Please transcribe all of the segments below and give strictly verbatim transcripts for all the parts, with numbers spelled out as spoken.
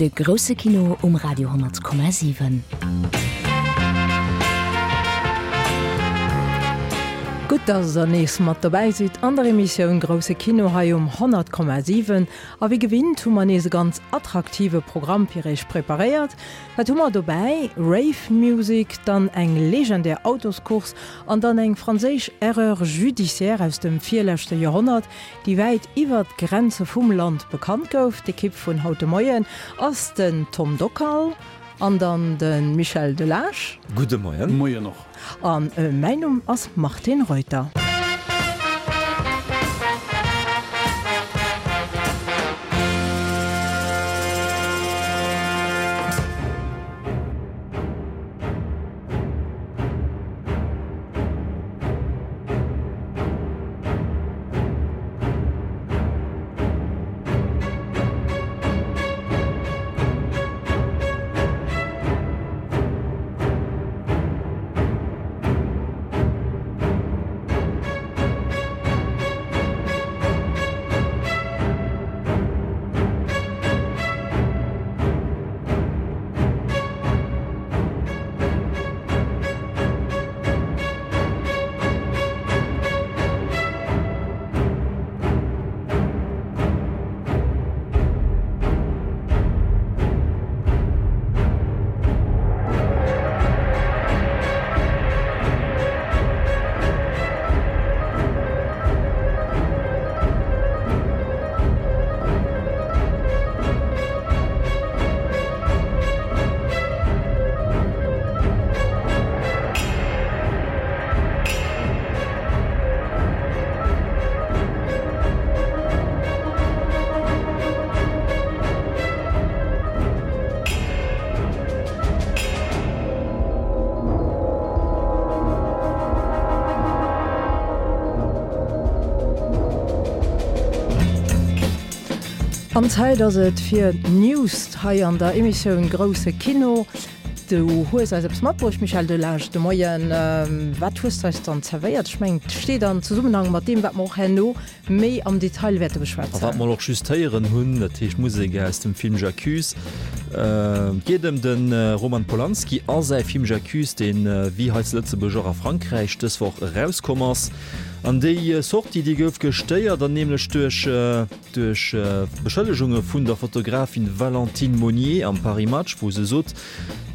De grousse Kino um Radio honnert Komma siwen. Gutt, dass der nees mat dobäi sidd an der Emissioun Grousse Kino hei um honnert Komma siwen. A wéi gewinnt hu mer nees e ganz attraktive Programm fir iech preparéiert. Wat hu mer dobäi? Rave Music, dann eng legendär Autoscourse an dann eng franséisch Erreur judiciaire aus dem virleschte Joerhonnert, déi wäit iwwert d'Grenze vum Land bekannt gouf. D'Ekipp vun haut de Moien ass den Tom Dockal an dann de Michel Delage. Gudde Moien. Moien och. An mäin Numm ass Martine Reuter. An Zäit ass et fir d'News hei an der Emissioun Grousse Kino. Du hues eis eppes matbruecht, Michel Delage, de Moien. Wat hues de eis dann zerwéiert? Ech mengen, et steet an Zesummenhang mat deem, wat mer och herno méi am Detail wäerte beschwätzen. A wat mer och just héieren hunn, dat heescht Musek aus dem Film J'accuse. Et geet ëm de Roman Polanski a säi Film J'accuse, deen, wéi hei zu Lëtzebuerg och a Frankräich, dës Woch erauskomm ass. An déi Sortie, déi gouf gestéiert, an nämlech duerch duerch Beschëllegunge vun der Fotografin Valentine Monnier am Paris Match, wou se sot,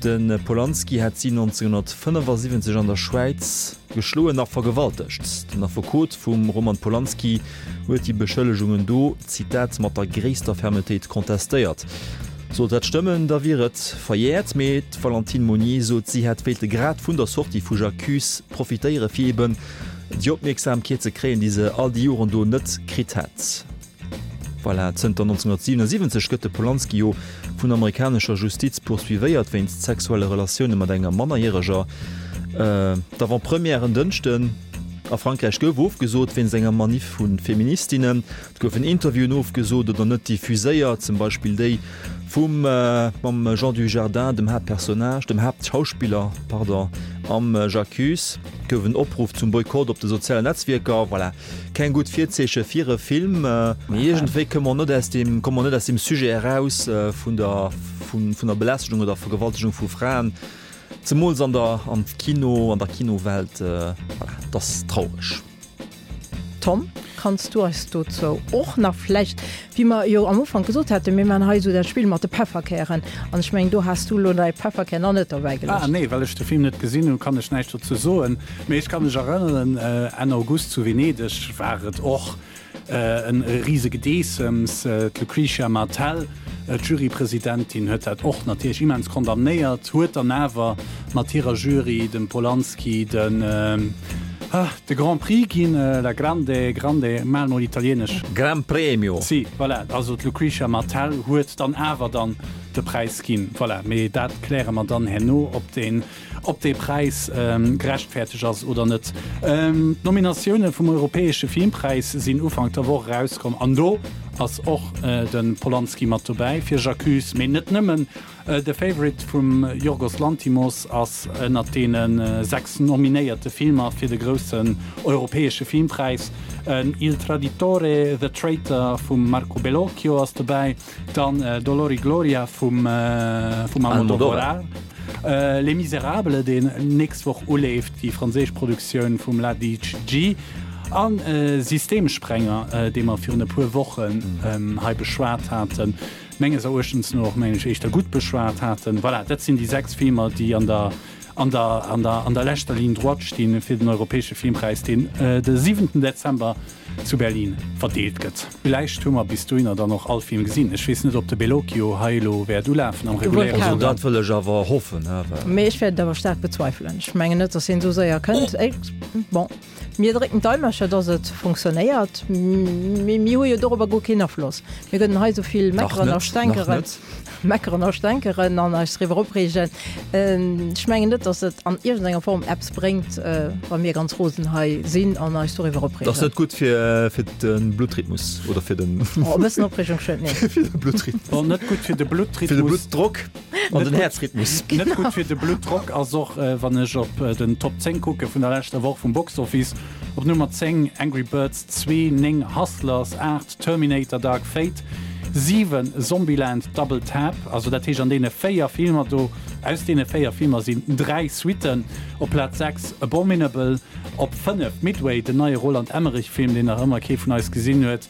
de Polanski hätt si nonzénghunnertfënnefasiwwenzeg an der Schwäiz geschloen a vergewaltegt. Den Affekot vum Roman Polanski huet déi Beschëllegungen do, Zitat, mat der gréisster Fermetéit kontestéiert. Sollt dat stëmmen, da wier et verjäert, mee d'Valentine Monnier sot, si hätt wéilte grad vun der Sortie vu J'accuse profitéiere fir eben déi Opmierksamkeet ze kréien, déi se all déi Joren do net kritt hätt. Voilà, zënter nonzénghunnertsiwwensiwwenzeg gëtt de Polanski jo vun amerikanescher Justiz poursuivéiert wéinst sexuelle Relatioune mat enger Mannerjäreger. D'Avant-première en Dënschden a Frankräich gouf ofgesot wéinst enger Maniff vu Feministinnen. Et goufen Interviewen ofgesot oder net diffuséiert, zum Beispill déi vum mam Jean Dujardin, dem Haaptpersonnage, dem Haaptschauspiller, pardon, am J'accuse. Et gouf en Opruff zum Boykott op de sozialen Netzwierker. Voilà, keng gutt Virzeeche fir e Film. Mee iergendwéi komme mer net aus deem, komme mer net aus deem Sujet eraus vun der, vun der Belästegung oder Vergewaltegung vu Fraen. Zemools an der am Kino, an der Kinowelt, voilà, et ass traureg. Tom, kanns du eis dozou och nach vläicht, wéi mer jo am Ufank gesot haten, mir maachen hei esou dat Spill mat de Pefferkären, an ech mengen, do has du elo däi Pefferkär nach net dobäi geluecht. Ah nee, well ech de Film net gesinn hunn, kann ech näischt dozou soen. Mee ech ka mech erënneren, Enn August zu Venedeg war et och e rise Gedeessems. D'Lucretia Martel, d'Jurypresidentin, huet dat och natierlech immens condamnéiert, huet dann awer mat hirer Jury dem Polanski den de Grand Prix ginn, la grande, grande, maach mol Italienesch. Gran Premio. Si, voilà, also d'Lucretia Martel huet dann awer dann de Präis ginn. Voilà, mee dat kläre mer dann herno, ob deen, ob dee Präis gerechtfertegt ass oder net. D'Nominatioune vum Europäesche Filmpräis sinn Ufank der Woch erauskomm an do ass och de Polanski mat dobäi fir J'accuse, mee net nëmmen. The Favourite vum Yorgos Lanthimos ass ënnert deene sechs nominéierte Filmer fir de groussen europäesche Filmpräis. Il Traditore, The Traitor vum Marco Bellocchio ass dobäi, dann Dolor y Gloria vum Almodovar, Les Misérables, deen nächst Woch uleeft, déi franséisch Produktioun vum Ladic G. A Systemsprenger, dee mer virun e puer Wochen hei beschwat haten, menges Eruechtens no och, mengen ech, éischter gutt beschwat haten. Voilà, dat sinn déi sechs Filmer, déi an der, an der, an der, an der leschter Ligne droite stinn fir den Europäesche Filmpräis, deen de siwenten Dezember zu Berlin verdeelt gëtt. Villäicht hu mer bis dohinner dann och all Film gesinn. Ech weess net, ob de Bellocchio hei elo wäert ulafen am reguläre Also dat wëll ech awer hoffen, he, well. Mee ech wäert et awer staark bezweifelen. Ech mengen net, datt hien esou séier kënnt. Bon. Mir drécken d'Daimercher, dass et funktionéiert, mee mir hu jo dorobber guer keen Afloss. Mir kënnen hei esou vill meckeren a stänkeren, meckeren a stänkeren an eis driwwer opreegen. Ech mengen net, dass et an iergendenger Form eppes bréngt, wa mir ganz rosen hei sinn an eis doriwwer opreegen. Dat ass net gutt fir, fir de Bluttrhythmus oder fir den. Oh, e bëssen Opreegung schued net. Fir de Bluttrhythmus. Bon, net gutt fir de Bluttrhythmus. Fir de Bluttdrock an den Häerzrhythmus. Net gutt fir de Bluttdrock ass och, wann ech op den Top zéng kucke vun der leschter Woch vum Box Office. Op Nummer zéng Angry Birds zwee, néng Hustlers, aacht Terminator Dark Fate, siwen Zombieland Double Tap. Also dat heescht an deene véier Filmer do, aus deene véier Filmer sinn dräi Suitten. Op Plaz sechs Abominable, op fënnef Midway, den neie Roland Emmerich Film, deen nach ëmmer kee vun eis gesinn huet.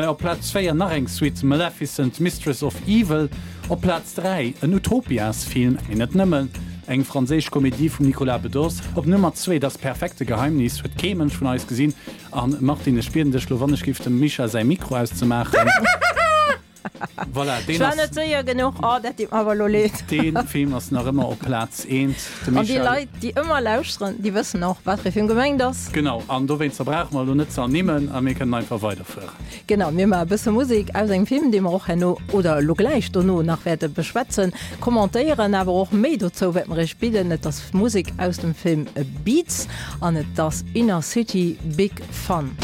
Op Plaz véier nach eng Suite, Maleficent, Mistress of Evil. Op Plaz dräi en Utopias-Film, mee net nëmmen. Eng franséisch Komedie vum Nicolas Bedos. Op Nummer zwee Das perfekte Geheimnis, huet kee Mënsch vun eis gesinn. An Martine, ech bieden dech lo wannechgift dem Mischa säi Mikro auszemaachen. Voilà, deen Ech war ass. net séier genuch. Oh, dat deet mer awer elo leed. Dee Film ass nach ëmmer op Plaz eent. De An déi Michel. Leit, déi ëmmer lauschteren, déi wëssen och, wat fir e Film gemengt ass. Genau, an dowéinster brauche mer elo net ze ernimmen a mir kënnen einfach weiderfueren. Genau, mir maache e bësse Musek aus engem Film, dee mer och herno oder elo gläich dono nach wäerte beschwätzen, commentéieren, awer och méi dozou wäerte mer iech bidden. Et ass Musek aus dem Film Beats an et ass Inner City Big Fun.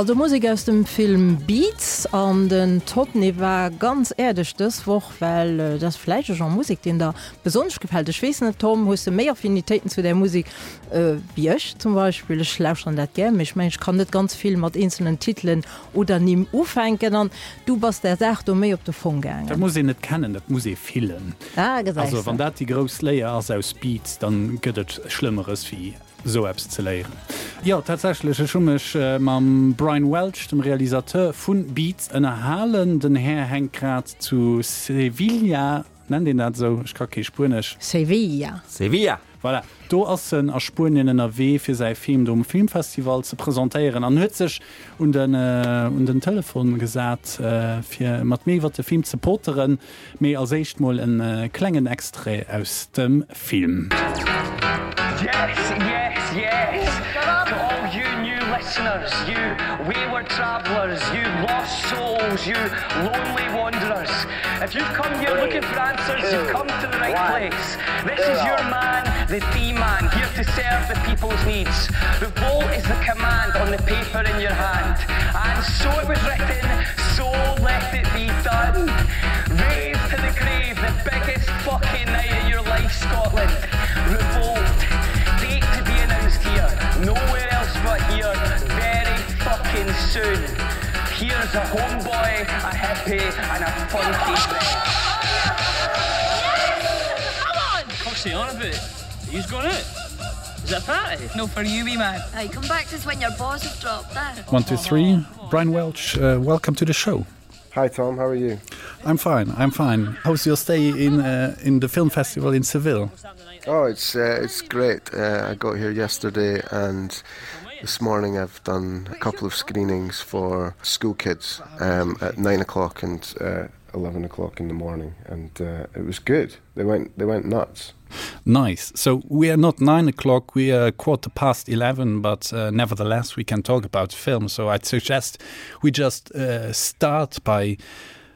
Also Musek aus dem Film Beats an den Todd war ganz äerdeg dës Woch, well äh, dat vläicht e Genre Musek, deen der besonnesch gefält. Ech weess net Tom, hues de méi Affinitéiten zu der Musek äh, wéi ech zum Beispill ech lauschteren dat gär, mee ech mengen ech kann net ganz vill mat eenzelnen Titelen oder Nimm ufänken an du bass der Saach do méi op de Fong gaangen. Dat muss een net kennen, dat muss ee fillen. Ah, gesäis Also de. wann dat déi grouss Léier ass aus Beats, dann gëtt et Schlëmmeres wéi sou eppes ze léieren. Jo, tatsächlech, ech hu mech mam Brian Welch, dem Realisateur vu Beats, ënnerhalen. Den Här hänkt grad zu Sevilla, nennt een dat esou? Ech ka kee Spuenesch. Sevilla. Sevilla! Voilà, do ass en a Spuenien ënnerwee fir säi Film do um Filmfestival ze presentéieren an huet sech un den un den Telefon gesat fir mat mir iwwert de Film ze poteren. Mee als éischt mol en klengen Extrait aus dem Film. Yes, yes, yes to all you new listeners, you wayward travellers, you lost souls, you lonely wanderers. If you've come here looking for answers, you've come to the right place. This is your man, the D-man, here to serve the people's needs. Revolt is the command on the paper in your hand. And so it was written, so let it be done. Rave to the grave, the biggest fucking night of your life, Scotland. Revolt. Date to be announced here, nowhere else but here, very fucking soon. Here's a homeboy, a hippie, and a funky What's he on about? He's gone out. Is that a party? No for you, wee man. Aye, come back to us when your balls have dropped, eh? One, two, three. Brian Welch, uh, welcome to the show. Hi Tom, how are you? I'm fine. I'm fine. How's your stay in uh, in the film festival in Seville? Oh, it's uh, it's great. Uh, I got here yesterday, and this morning I've done a couple of screenings for school kids um, at nine o'clock and uh, eleven o'clock in the morning, and uh, it was good. They went they went nuts. Nice. So we are not nine o'clock, we are quarter past eleven, but uh, nevertheless we can talk about film. So I'd suggest we just uh, start by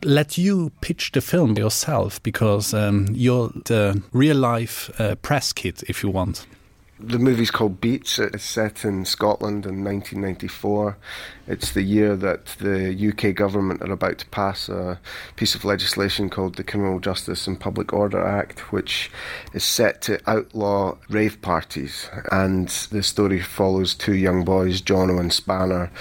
let you pitch the film yourself because um, you're the real life uh, press kit if you want. The movie's called Beats. It's set in Scotland in nineteen ninety-four. It's the year that the U K government are about to pass a piece of legislation called the Criminal Justice and Public Order Act, which is set to outlaw rave parties. And the story follows two young boys, Jono and Spanner,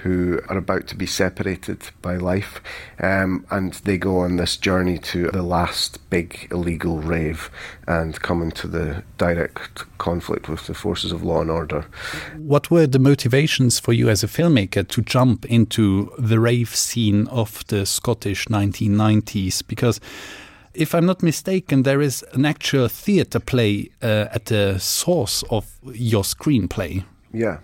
who are about to be separated by life, um, and they go on this journey to the last big illegal rave and come into the direct conflict with the forces of law and order. What were the motivations for you as a filmmaker to jump into the rave scene of the Scottish nineteen nineties? Because if I'm not mistaken, there is an actual theatre play, uh, at the source of your screenplay. Yeah.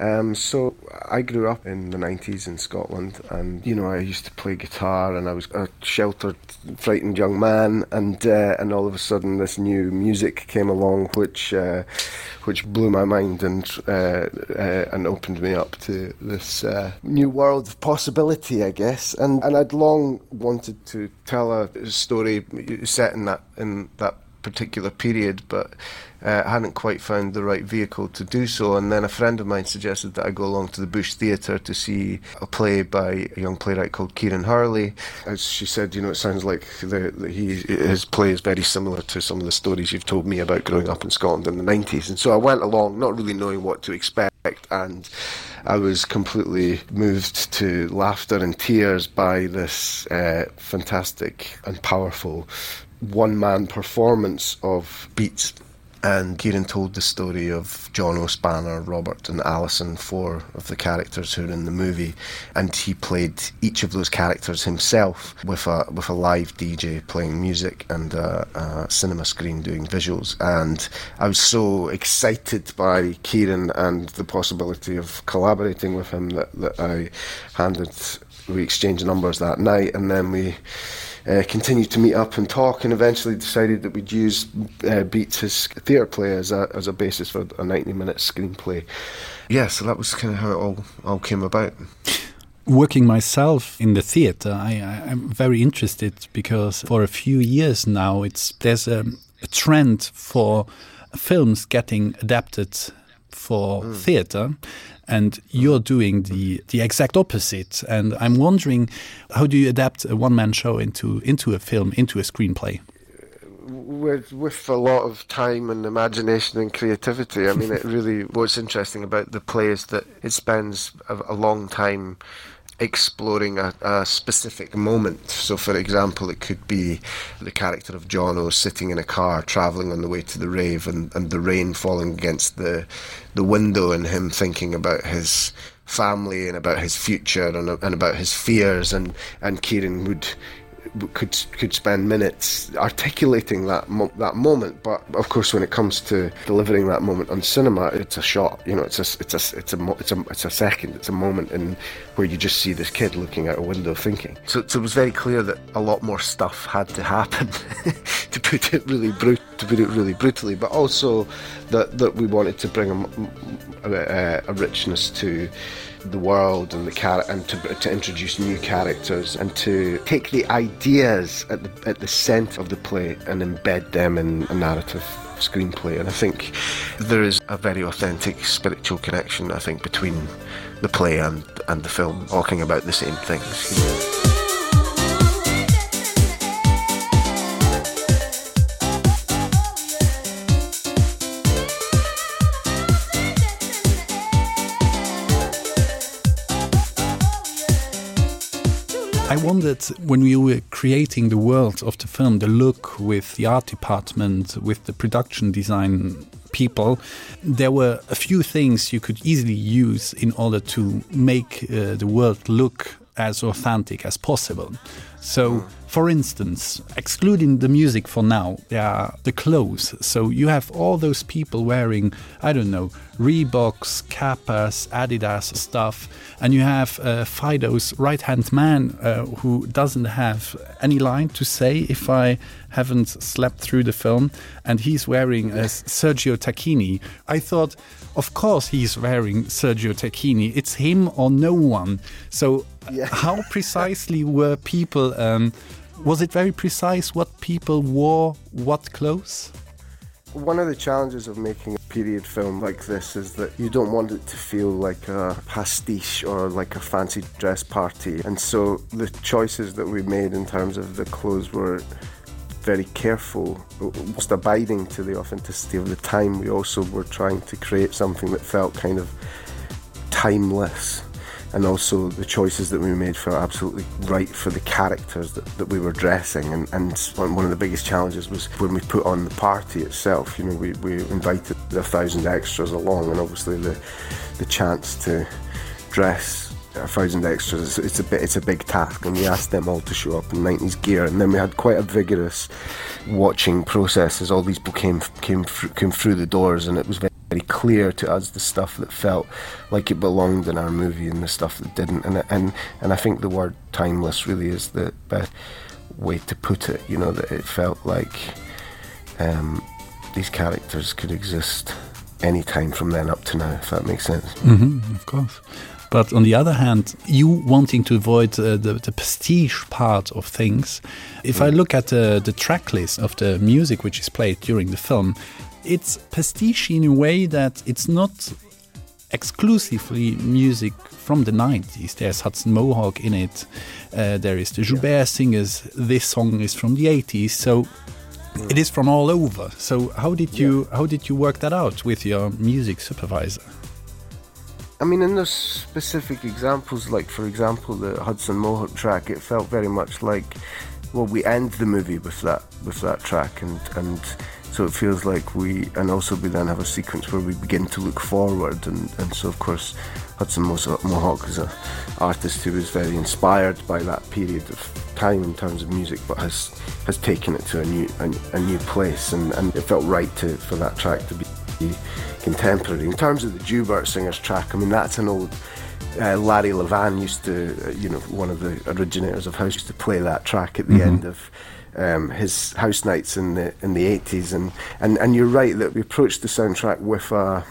Um, so I grew up in the nineties in Scotland, and you know I used to play guitar, and I was a sheltered, frightened young man, and, uh, and all of a sudden this new music came along, which, uh, which blew my mind and, uh, uh, and opened me up to this, uh, new world of possibility, I guess. And, and I'd long wanted to tell a story set in that, in that particular period, but uh, hadn't quite found the right vehicle to do so. And then a friend of mine suggested that I go along to the Bush Theatre to see a play by a young playwright called Kieran Hurley. As she said, you know, it sounds like the, the, he, his play is very similar to some of the stories you've told me about growing up in Scotland in the nineties. And so I went along not really knowing what to expect, and I was completely moved to laughter and tears by this, uh, fantastic and powerful one-man performance of Beats. And Kieran told the story of Jono, Spanner, Robert and Alison, four of the characters who are in the movie, and he played each of those characters himself with a with a live D J playing music and a, a cinema screen doing visuals. And I was so excited by Kieran and the possibility of collaborating with him that, that I handed, we exchanged numbers that night, and then we Uh, continued to meet up and talk, and eventually decided that we'd use, uh, Beats, his theatre play, as a, as a basis for a ninety-minute screenplay. Yeah, so that was kinda how it all, all came about. Working myself in the theatre, I, I, I'm very interested because for a few years now, it's there's a, a trend for films getting adapted for mm. theater and you're doing the the exact opposite and I'm wondering how do you adapt a one-man show into into a film into a screenplay with with a lot of time and imagination and creativity I mean it really what's interesting about the play is that it spends a, a long time exploring a, a specific moment so for example it could be the character of Jono sitting in a car traveling on the way to the rave and, and the rain falling against the the window and him thinking about his family and about his future and, and about his fears and and Kieran would could could spend minutes articulating that mo that moment but of course when it comes to delivering that moment on cinema it's a shot you know it's a it's a it's a it's a it's a second it's a moment in where you just see this kid looking out a window thinking so, so it was very clear that a lot more stuff had to happen to put it really brut to put it really brutally but also that that we wanted to bring a, a, a richness to the world and the char and to, to introduce new characters and to take the ideas at the, at the center of the play and embed them in a narrative screenplay and I think there is a very authentic spiritual connection I think between the play and and the film talking about the same things you know. I wondered when we were creating the world of the film, the look with the art department, with the production design people, there were a few things you could easily use in order to make uh, the world look as authentic as possible. So for instance, excluding the music for now, there are the clothes. So you have all those people wearing, I don't know, Reeboks, Kappas, Adidas stuff, and you have uh, Fido's right-hand man uh, who doesn't have any line to say if I haven't slept through the film, and he's wearing a Sergio Tacchini. I thought, of course he's wearing Sergio Tacchini. It's him or no one. So yeah. how precisely were people um, was it very precise what people wore what clothes? One of the challenges of making a period film like this is that you don't want it to feel like a pastiche or like a fancy dress party. And so the choices that we made in terms of the clothes were very careful, whilst abiding to the authenticity of the time, we also were trying to create something that felt kind of timeless and also the choices that we made felt absolutely right for the characters that, that we were dressing and, and one of the biggest challenges was when we put on the party itself you know we, we invited a thousand extras along and obviously the the chance to dress a thousand extras it's, it's a bit it's a big task and we asked them all to show up in nineties gear and then we had quite a vigorous watching process as all these people came came came through the doors and it was very very clear to us the stuff that felt like it belonged in our movie and the stuff that didn't and and and I think the word timeless really is the best way to put it you know that it felt like um, these characters could exist any time from then up to now if that makes sense mm -hmm, of course but on the other hand you wanting to avoid uh, the, the prestige part of things if mm. I look at the, the track list of the music which is played during the film it's pastiche in a way that it's not exclusively music from the nineties. There's Hudson Mohawk in it. Uh, there is the Joubert yeah. singers. This song is from the eighties. So mm. it is from all over. So how did you yeah. how did you work that out with your music supervisor? I mean in those specific examples like for example the Hudson Mohawk track it felt very much like well we end the movie with that with that track and and so it feels like we and also we then have a sequence where we begin to look forward and and so of course Hudson Mohawk is a artist who was very inspired by that period of time in terms of music but has has taken it to a new a, a new place and and it felt right to for that track to be contemporary in terms of the Jubert singers track I mean that's an old uh, Larry Levan used to uh, you know one of the originators of house used to play that track at the mm -hmm. end of um, his house nights in the in the eighties and and and you're right that we approached the soundtrack with a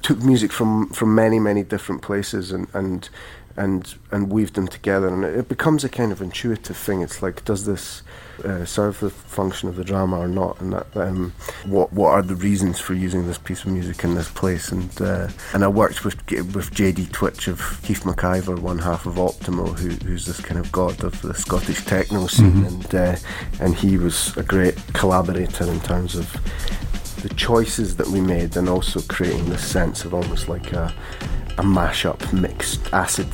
took music from from many many different places and and and and weave them together and it becomes a kind of intuitive thing it's like does this uh, serve the function of the drama or not and that um, what what are the reasons for using this piece of music in this place and uh, and I worked with with JD Twitch of Keith McIver one half of Optimal who, who's this kind of god of the Scottish techno scene mm -hmm. and uh, and he was a great collaborator in terms of the choices that we made and also creating this sense of almost like a a mashup mixed acid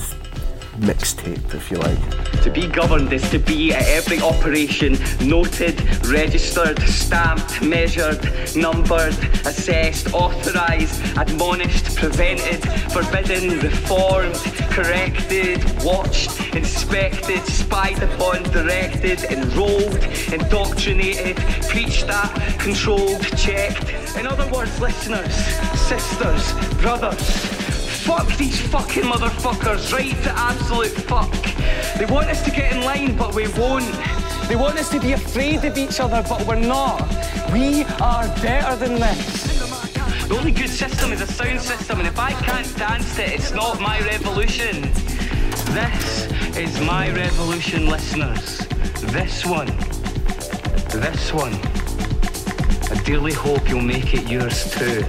mixtape if you like. To be governed is to be at every operation noted, registered, stamped, measured, numbered, assessed, authorized, admonished, prevented, forbidden, reformed, corrected, watched, inspected, spied upon, directed, enrolled, indoctrinated, preached at, controlled, checked. In other words, listeners, sisters, brothers, fuck these fucking motherfuckers right to absolute fuck. They want us to get in line, but we won't. They want us to be afraid of each other, but we're not. We are better than this. The only good system is a sound system, and if I can't dance it, it's not my revolution. This is my revolution, listeners. This one. This one. I dearly hope you'll make it yours too.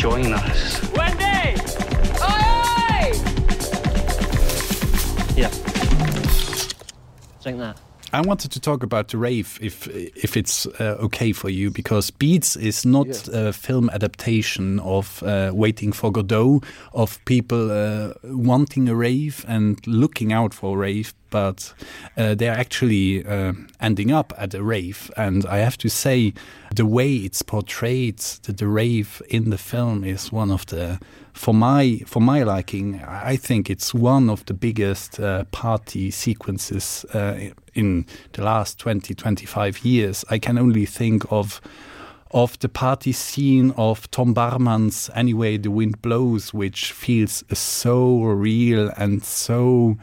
Join us. Wendy! Oi, oi! Yeah. Drink that. I wanted to talk about the rave if if it's uh, okay for you because Beats is not yeah. a film adaptation of uh, waiting for Godot of people uh, wanting a rave and looking out for a rave but uh, they are actually uh, ending up at a rave and I have to say the way it's portrayed that the rave in the film is one of the for my for my liking I think it's one of the biggest uh, party sequences uh, in the last twenty twenty five years I can only think of of the party scene of Tom Barman's anyway the wind blows which feels so real and so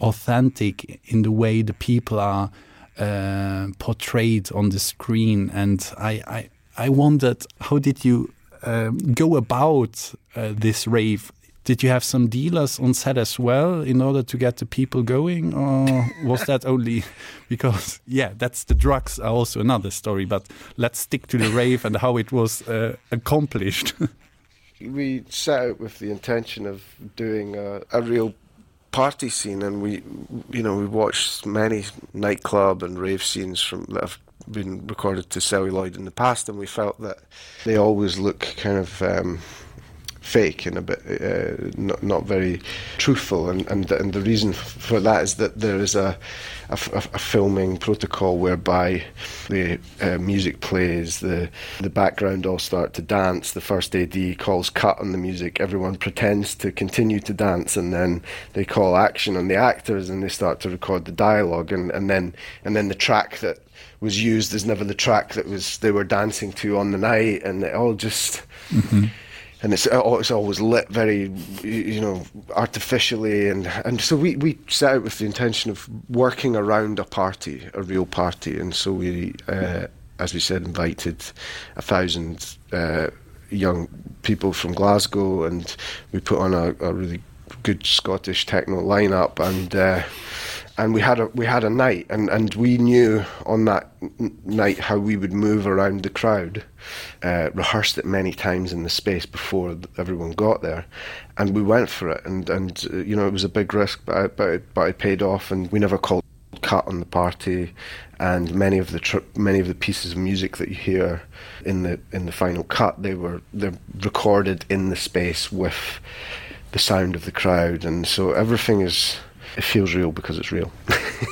authentic in the way the people are uh, portrayed on the screen and I, I I wondered how did you um, go about uh, this rave did you have some dealers on set as well in order to get the people going or was that only because yeah that's the drugs are also another story but let's stick to the rave and how it was uh, accomplished we set out with the intention of doing a, a real party scene and we you know we watched many nightclub and rave scenes from that have been recorded to celluloid in the past and we felt that they always look kind of um fake and a bit uh, not, not very truthful and, and, and the reason for that is that there is a, a, a filming protocol whereby the uh, music plays the the background all start to dance the first AD calls cut on the music everyone pretends to continue to dance and then they call action on the actors and they start to record the dialogue and, and then and then the track that was used is never the track that was they were dancing to on the night and it all just mm -hmm and it's uh, it's always lit very you know artificially and and so we we set out with the intention of working around a party a real party and so we uh, as we said invited a thousand uh, young people from Glasgow and we put on a, a really good Scottish techno lineup and uh, and we had a we had a night and and we knew on that night how we would move around the crowd uh, rehearsed it many times in the space before everyone got there and we went for it and and uh, you know it was a big risk but I, but it, but it paid off and we never called cut on the party and many of the many of the pieces of music that you hear in the in the final cut they were they're recorded in the space with the sound of the crowd and so everything is it feels real because it's real.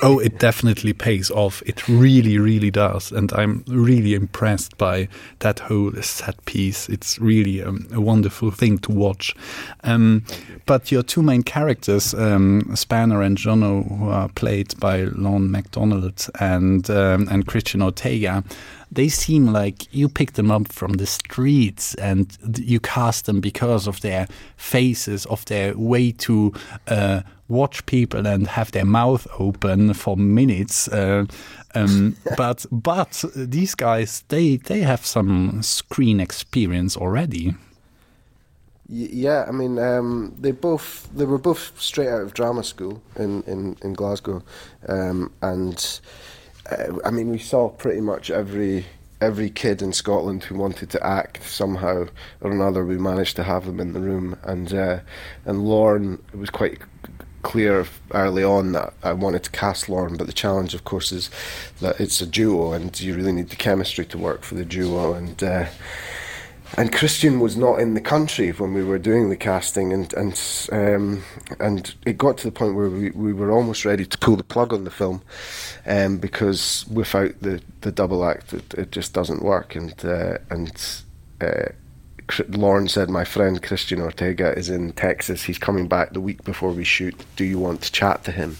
oh, it definitely pays off. It really, really does. And I'm really impressed by that whole set piece. It's really um, a wonderful thing to watch. Um, but your two main characters, um, Spanner and Jono, who are played by Lon MacDonald and, um, and Christian Ortega, they seem like you picked them up from the streets and you cast them because of their faces, of their way to uh, watch people and have their mouth open for minutes. Uh, um, but but these guys, they, they have some screen experience already. Yeah, I mean, um, they both they were both straight out of drama school in in in Glasgow, um, and uh, I mean, we saw pretty much every every kid in Scotland who wanted to act somehow or another. We managed to have them in the room, and uh, and Lorne it was quite clear early on that I wanted to cast Lorne, but the challenge, of course, is that it's a duo, and you really need the chemistry to work for the duo, and. Uh, and Christian was not in the country when we were doing the casting and and um, and it got to the point where we, we were almost ready to pull the plug on the film um, because without the the double act it, it just doesn't work and uh, and uh, Lauren said my friend Christian Ortega is in Texas he's coming back the week before we shoot do you want to chat to him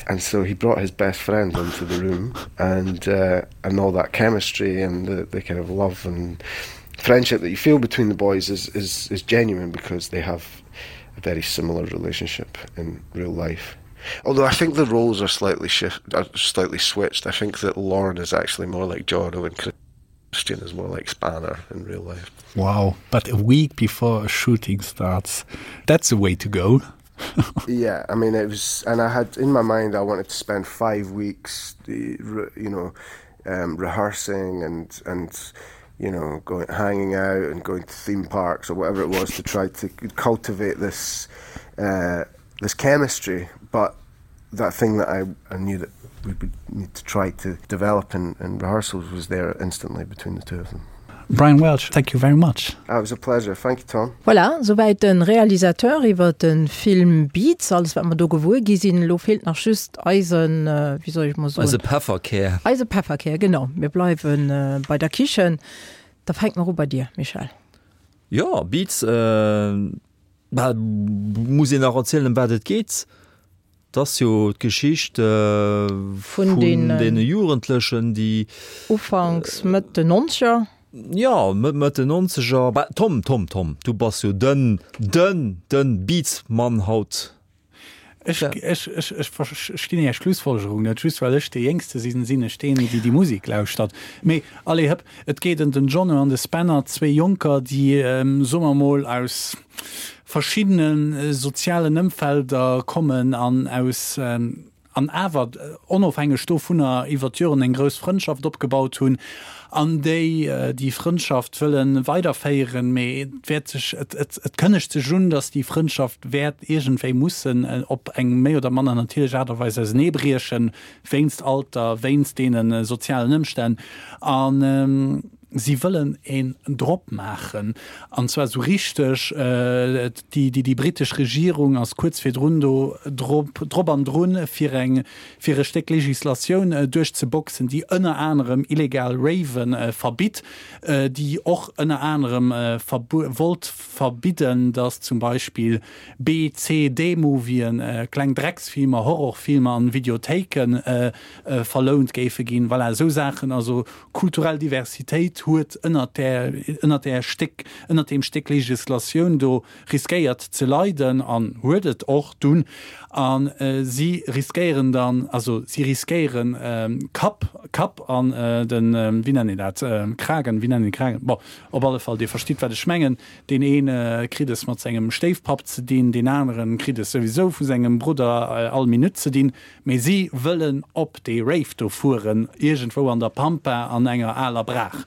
and so he brought his best friend into the room and uh, and all that chemistry and the, the kind of love and friendship that you feel between the boys is is is genuine because they have a very similar relationship in real life. Although I think the roles are slightly shift are slightly switched. I think that Lauren is actually more like Jono and Christian is more like Spanner in real life. Wow, but a week before a shooting starts, that's a way to go. yeah, I mean it was and I had in my mind I wanted to spend five weeks you know um, rehearsing and and you know going hanging out and going to theme parks or whatever it was to try to cultivate this uh, this chemistry but that thing that I, I knew that we would need to try to develop in, in rehearsals was there instantly between the two of them. Brian Welch, thank you very much. Uh, it was a pleasure. Thank you, Tom. Voilà, souwäit de Realisateur iwwer de Film Beats, alles wat mer do gewuer gi sinn. Elo feelt nach just eisen, wéi soll ech mol soen? Eise Pefferkär. Eise Pefferkär, genau. Mir bleiwe bei der Kichen. Da fänke mer u bei dir, Michel. Jo, Beats, bah, muss een nach erzielen, ëm wat et geet? 't ass jo d'Geschicht vun deene Jugendlechen, déi. Ufanks, Mëtt den Nonzeger. Jo, Mëtt den Nonzeger. Bah, Tom, Tom, Tom, du bass jo den, den, den Beats-Mann haut. Ech, ech, ech, ech verstinn Är Schlussfolgerung net. Just well ech dee Jéngste sinn, sinn ech deen, dee déi Musek lauschtert. Mee allez hëpp, et geet ëm den Jono an de Spanner, zwee Jonker, déi, soe mer mol, aus verschiddene sozialen Ëmfelder kommen an aus, an awer onofhängeg dovunner iwwer d'Joren eng grouss Frëndschaft opgebaut hunn an déi déi Frëndschaft wëlle weiderféieren, mee et wäert sech, et, et, et kënnegt sech un, datt déi Frëndschaft wäert iergendwéi mussen op eng méi oder manner natierlech Aart a Weis auseneebriechen, wéinst Alter, wéinst deene sozialen Ëmstänn. An si wëllen een drop maachen, an zwar esou richteg. Déi, déi britesch Regierung ass kuerz virdrun do drop, drop an drun, fir eng, fir e Stéck Legislatioun duerchzeboxen, déi ënner anerem illegal Raven verbitt, déi och ënner anerem wollt verbidden, datt zum Beispill B-, C-, D-Movien, kleng Drecksfilmer, Horrorfilmer an Videothéike verlount géife ginn. Voilà, esou Saachen. Also kulturell Diversitéit huet ënnert där, ënnert där Stéck, ënnert deem Stéck Legislatioun do riskéiert ze leiden an huet et och dunn. A si riskéieren dann, also si riskéieren Kapp, Kapp an den, wéi nennen een dat, Kragen, wéi nennen een Kragen? Bon, op alle Fall, Dir verstitt, wat ech mengen. Deen ee kritt es mat sengem Stéifpapp ze dinn, deen anere kritt es souwisou vu sengem Brudder all Minutt ze dinn. Mee si wëllen op dee Rave do fueren, iergendwou an der Pampa an enger aler Braach.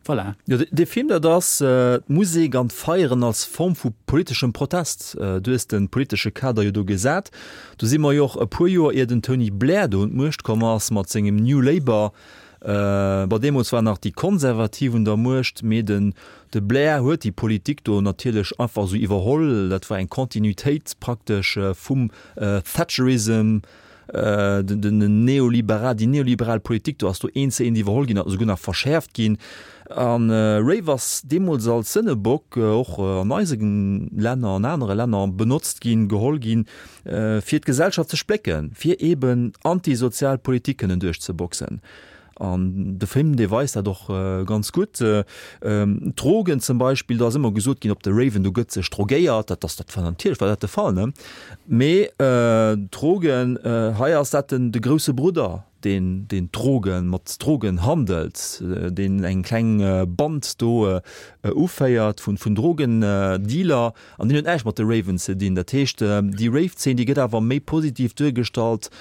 Voilà. Jo, dee Film, dat ass d'Musek an d'Feieren als Form vu politeschem Protest. Du hues de politesche Kader jo do gesat. Do si mer jo och e puer Joer ier den Tony Blair do un d'Muecht komm ass mat sengem New Labour. Bon, deemools waren nach déi Konservativ un der Muecht, mee den de Blair huet déi Politik do natierlech einfach esou iwwerholl. Dat war eng Continuitéit praktesch vum Thatcherism. Den neoliberal, déi neoliberal Politik do ass do eent zu eent iwwerholl ginn, esouguer nach verschäerft ginn. An Rave ass deemools als Sënnebock och an eise Länner, an anere Länner benotzt ginn, geholl ginn, fir d'Gesellschaft ze splécken, fir eeben antisozial Politik kënnen duerchzeboxen. An de Film, dee weist dat och ganz gutt. D'Drogen zum Beispill, do ass ëmmer gesot ginn, op de Raven, do gëtt sech drogéiert. Dat ass, dat war natierlech war dat de Fall, ne? Mee d'Drogen, hei ass dat den, de grousse Brudder, deen deen Drogen, mat Drogen handelt, deen eng kleng Band do uféiert vun vun Drogendealer an deen huet näischt mat de Raven ze dinn. Dat heescht, déi Rave-Zeen, déi gëtt awer méi positiv duergestallt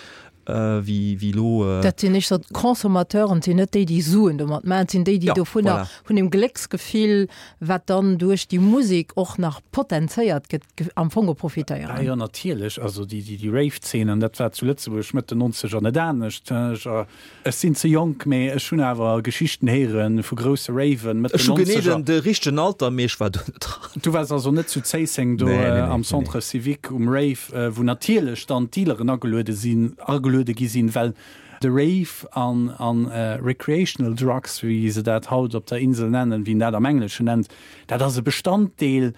wéi wéi elo. Dat sinn éischter d'Consommateuren, et sinn net déi, déi Suen domat maachen, et sinn déi, déi dovunner, vun deem Glécksgefill, wat dann duerch déi Musek och nach potenzéiert gëtt, am Fong profitéieren. Ah jo, natierlech. Also déi, déi Rave-Zeen, an dat war zu Lëtzebuerg Mëtt den Nonzeger net anescht. Ech sinn ze jonk, mee ech hunn awer Geschichten héiere vu grousse Raven Mëtt den Nonzeger. Ech hu genee de richtegen Alter, mee ech war do net dran. Du waars also net zu Zéisseng do am Centre Civique um Rave, wou natierlech dann d'Dealeren ageluede sinn, ageluede gi sinn, well de Rave an recreational drugs, wéi se dat haut op der Insel nennen, wéi een dat am Engleschen nennt, dat ass e Bestanddeel,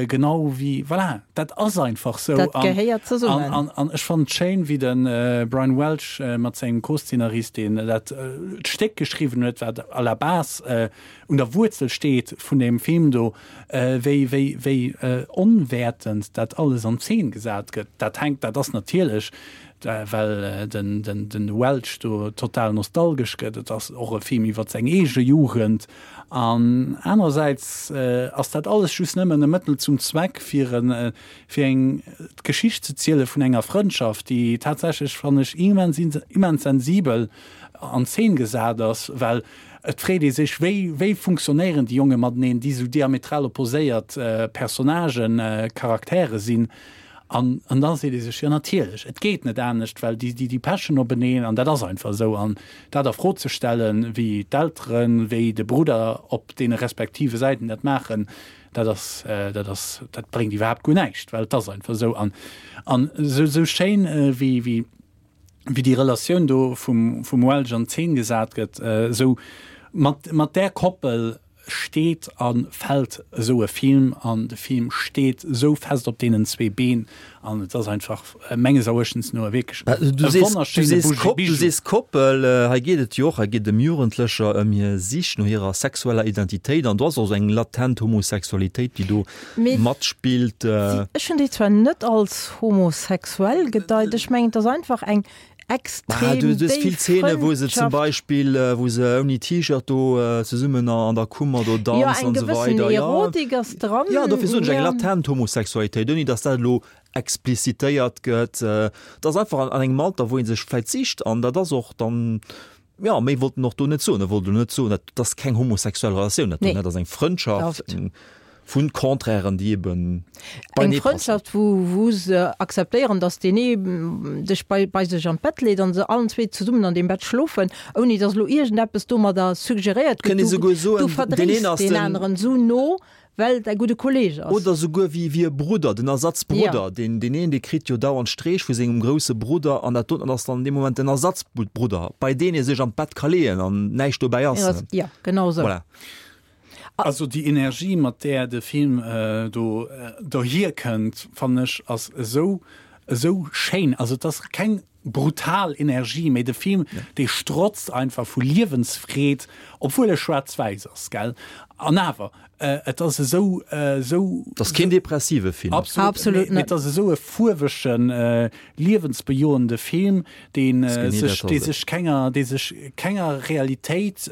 genau wéi, voilà, dat ass einfach sou. Dat gehéiert zesummen. An, an ech fannen et schéin, wéi de Brian Welch mat sengem Co-Szenarist, deen dat d'Stéck geschriwwen huet, wat à la base un der Wuerzel steet vun deem Film do, wéi, wéi, wéi onwäertend dat alles an Zeen gesat gëtt. Dat hänkt, dat ass natierlech, well den, den, den Welch do total nostalgesch gëtt. Et ass och e Film iwwer seng eege Jugend. An anerersäits ass dat alles just nëmmen e Mëttel zum Zweck, fir e, fir eng, d'Geschicht ze ziele vun enger Frëndschaft, déi tatsächlech, fannen ech, immens, immens sensibel an Zeen gesat ass, well et freet ee sech, wéi, wéi funktionéieren déi Jonge mateneen, déi esou diametral opposéiert Personnagen, Charaktere sinn. An, an da seet ee sech, jo natierlech, et geet net anescht, well déi, déi, déi pechen openeen an dat ass einfach esou. An dat a Fro ze stellen, wéi d'Elteren, wéi de Brudder op deene respektive Säiten dat maachen, dat ass, dat ass, dat bréngt iwwerhaapt guer näischt, well et ass einfach esou. An, an esou, esou schéin, wéi, wéi, wéi déi Relatioun do vum, vum Welch an Zeen gesat gëtt, esou mat, mat där Koppel, steet a fält esou e Film an de Film steet esou fest op deenen zwee Been an et ass einfach menges Eruechtens no wierklech e wonnerschéine Bijou. Du sees Koppel, hei geet et jo och, hei geet et ëm Jugendlecher, ëm hir Sich no hirer sexueller Identitéit an do ass och esou eng latent Homosexualitéit, déi do matspillt. Ech hunn déi zwar net als homosexuell gedeit, ech mengen et ass einfach eng extrem du, du vill Szene wo se zum Beispiel äh, wo se ouni T-Shirt do äh, zesummen an der Kummer do danzen ja, an so weiter. Erotik ja. ass dran. Ja, dofir soen ech eng latent Homosexualitéit, ouni dass dat elo explizitéiert gëtt. Äh, dat ass einfach an, an engem Alter, wou een sech vläit sicht an dat ass och dann ja méi wollt en och do net soen. E wollt elo net soen, dat ass keng homosexuell Relatioun, dat do, Nee. dat ass eng Frëndschaft. Oft. Vun Contrairen, déi eben Eng beienee passen. Frëndschaft, wou, wou se akzeptéieren, dass deen ee dech bei, bei sech an d'Bett leet an se allen zwee zesummen an deem Bett schlofen, ouni dass elo iergendeppes domadder suggeréiert gëtt, Kënnt ee du, souguer du soen, deen verdréis een ass deen den. aneren esou no, well et däi gudde Kolleeg ass. Oder souguer wéi, wéi e Brudder, den Ja. Ersatzbrudder. Deen, deen een, dee kritt jo dauernd Streech vu sengem grousse Brudder an dat doten ass dann an deem Moment den Ersatzbrudder, bei deen ee sech an d'Bett ka leeën an näischt dobäi ass. Ja, genau esou. Voilà. Also déi Energie, mat där de Film do dohier kënnt, fannen ech, ass esou, esou schéin. Also et ass keng brutal Energie, mee de Film, dee strotzt einfach vu Liewensfreed, obwuel e schwaarz-wäiss ass, gell? An awer, et ass esou, esou. Et ass keen depressive Film. Absolut, mee et ass esou e fuerwegen, liewensbejoende Film, dee sech, dee sech kenger, dee sech kenger Realitéit,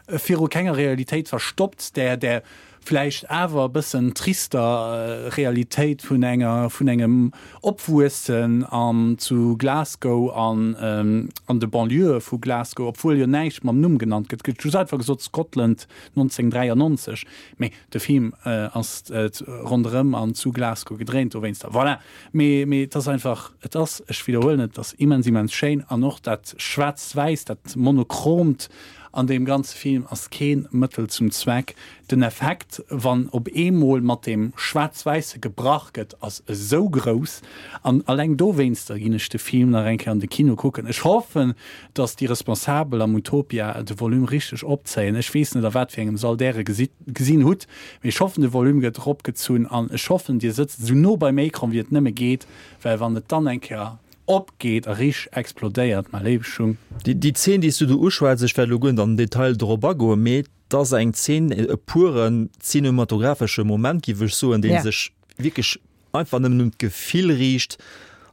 viru kenger Realitéit verstoppt, där där vläicht awer e bëssen trister Realitéit vun enger vun engem Opwuessen an zu Glasgow an an de Banlieuë vu Glasgow, obwuel jo näischt mam Numm genannt gëtt, gëtt just einfach gesot Scotland nonzénhunnertdräiannonzeg, mee de Film ass ronderëm an zu Glasgow gedréint dowéinster. Voilà, mee mee et ass einfach, et ass, ech widderhuelen, et ass immens immens schéin an och dat Schwaarz-Wäiss, dat Monochromt, An deem ganze Film ass keen Mëttel zum Zweck. Den Effekt, wann op eemol mat deem Schwaarz-Wäisse gebrach gëtt, ass esou grouss. An alleng dowéinster ginn ech de Film nach eng Kéier an de Kino kucken. Ech hoffen, dass déi Responsabel am Utopia de Volume richteg opzéien. Ech weess net, a wat fir engem Sall Där e gesinn hutt, mee ech hoffen, de Volume gëtt eropgezunn. An ech hoffen, Dir sëtzt esou no beim Écran, wéi et nëmme geet, well wann et dann eng Kéier Opgeet a richteg explodéiert, mä léiwe Schung. Déi Zeen, déi s du do uschwätz, ech wäert elo guer net an den Detail dorop agoen, mee et ass eng Zeen, e puren cinematographesche Moment, géif ech soen, dee sech wierklech einfach nëmmen un d'Gefill riicht.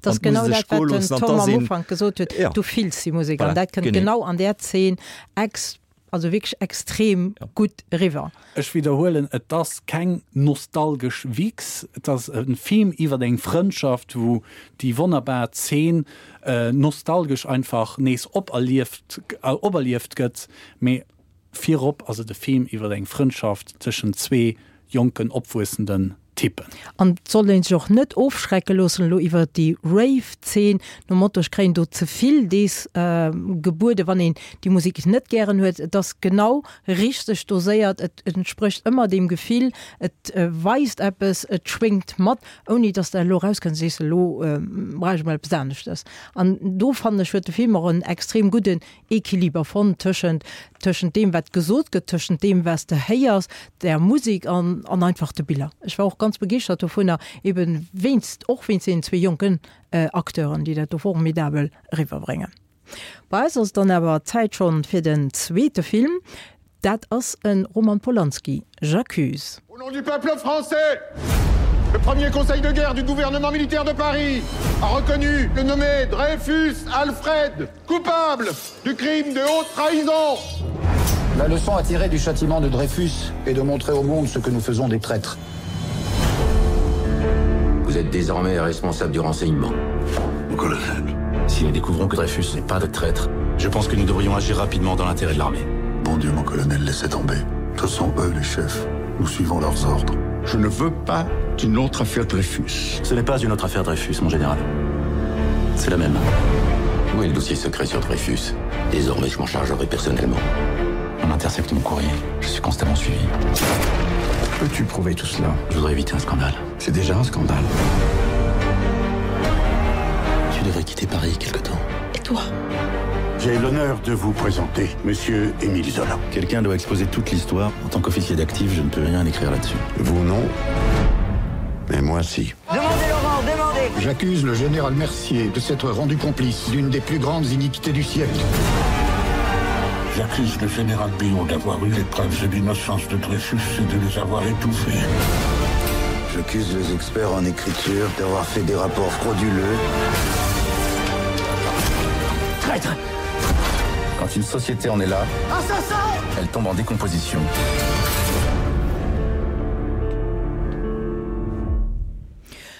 Dat ass genau dat, wat den Tom am Ufank gesot huet, du fills déi Musek an dat kënnt genau an där Zeen ex, also wierklech extrem gutt eriwwer. Ech widderhuelen, et ass keng nostalgesch Wichs, et ass e Film iwwer eng Frëndschaft, wou déi wonnerbar Zeen nostalgesch einfach nees operlieft, operlieft gëtt, mee virop ass et e Film iwwer eng Frëndschaft tëschent zwee jonken, opwuessenden Typen. An et soll een sech och net ofschrecke loossen elo iwwer déi Rave-Zeen, nom Motto, ech kréien do ze vill dees gebueden, wann een déi Musek net gären huet. Et ass genau richteg doséiert, et entsprécht ëmmer deem Gefill, et weist eppes, et schwéngt mat, ouni dass de elo erauskënns a sees, elo brauch ech emol eppes aneschtes. An do fannen ech, huet de Film och en extrem gudden Equiliber fonnt tëschent tëschent deem wat gesot gëtt, tëschent deem wat s de héiers, der Musek an an einfach de Biller. Ech war och ganz begeeschtert dovunner, eben wéinst, och wéinst deenen zwee jonken Acteuren, déi dat do formidabel eriwwerbréngen. Bei eis ass et dann awer Zäit schonn fir den zweete Film. Dat ass e Roman Polanski, J'accuse. Au nom du peuple français, le premier conseil de guerre du gouvernement militaire de Paris a reconnu le nommé Dreyfus Alfred coupable du crime de haute trahison. La leçon à tirer du châtiment de Dreyfus est de montrer au monde ce que nous faisons des traîtres. Vous êtes désormais responsable du renseignement. Mon colonel. Si nous découvrons que Dreyfus n'est pas de traître, je pense que nous devrions agir rapidement dans l'intérêt de l'armée. Bon Dieu, mon colonel, laissez tomber. Ce sont eux les chefs. Nous suivons leurs ordres. Je ne veux pas d'une autre affaire Dreyfus. Ce n'est pas une autre affaire Dreyfus, mon général. C'est la même. Où est le dossier secret sur Dreyfus Désormais, je m'en chargerai personnellement. On intercepte mon courrier. Je suis constamment suivi. Peux-tu prouver tout cela Je voudrais éviter un scandale. C'est déjà un scandale. Tu devrais quitter Paris quelque temps. Et toi J'ai l'honneur de vous présenter monsieur Émile Zola. Quelqu'un doit exposer toute l'histoire. En tant qu'officier d'actif, je ne peux rien écrire là-dessus. Vous non, mais moi si. Demandez Laurent, demandez J'accuse le général Mercier de s'être rendu complice d'une des plus grandes iniquités du siècle. J'accuse le général Billon d'avoir eu les preuves de l'innocence de Dreyfus et de les avoir étouffées. J'accuse les experts en écriture d'avoir fait des rapports frauduleux. Traître Quand une société en est là, Assassin elle tombe en décomposition.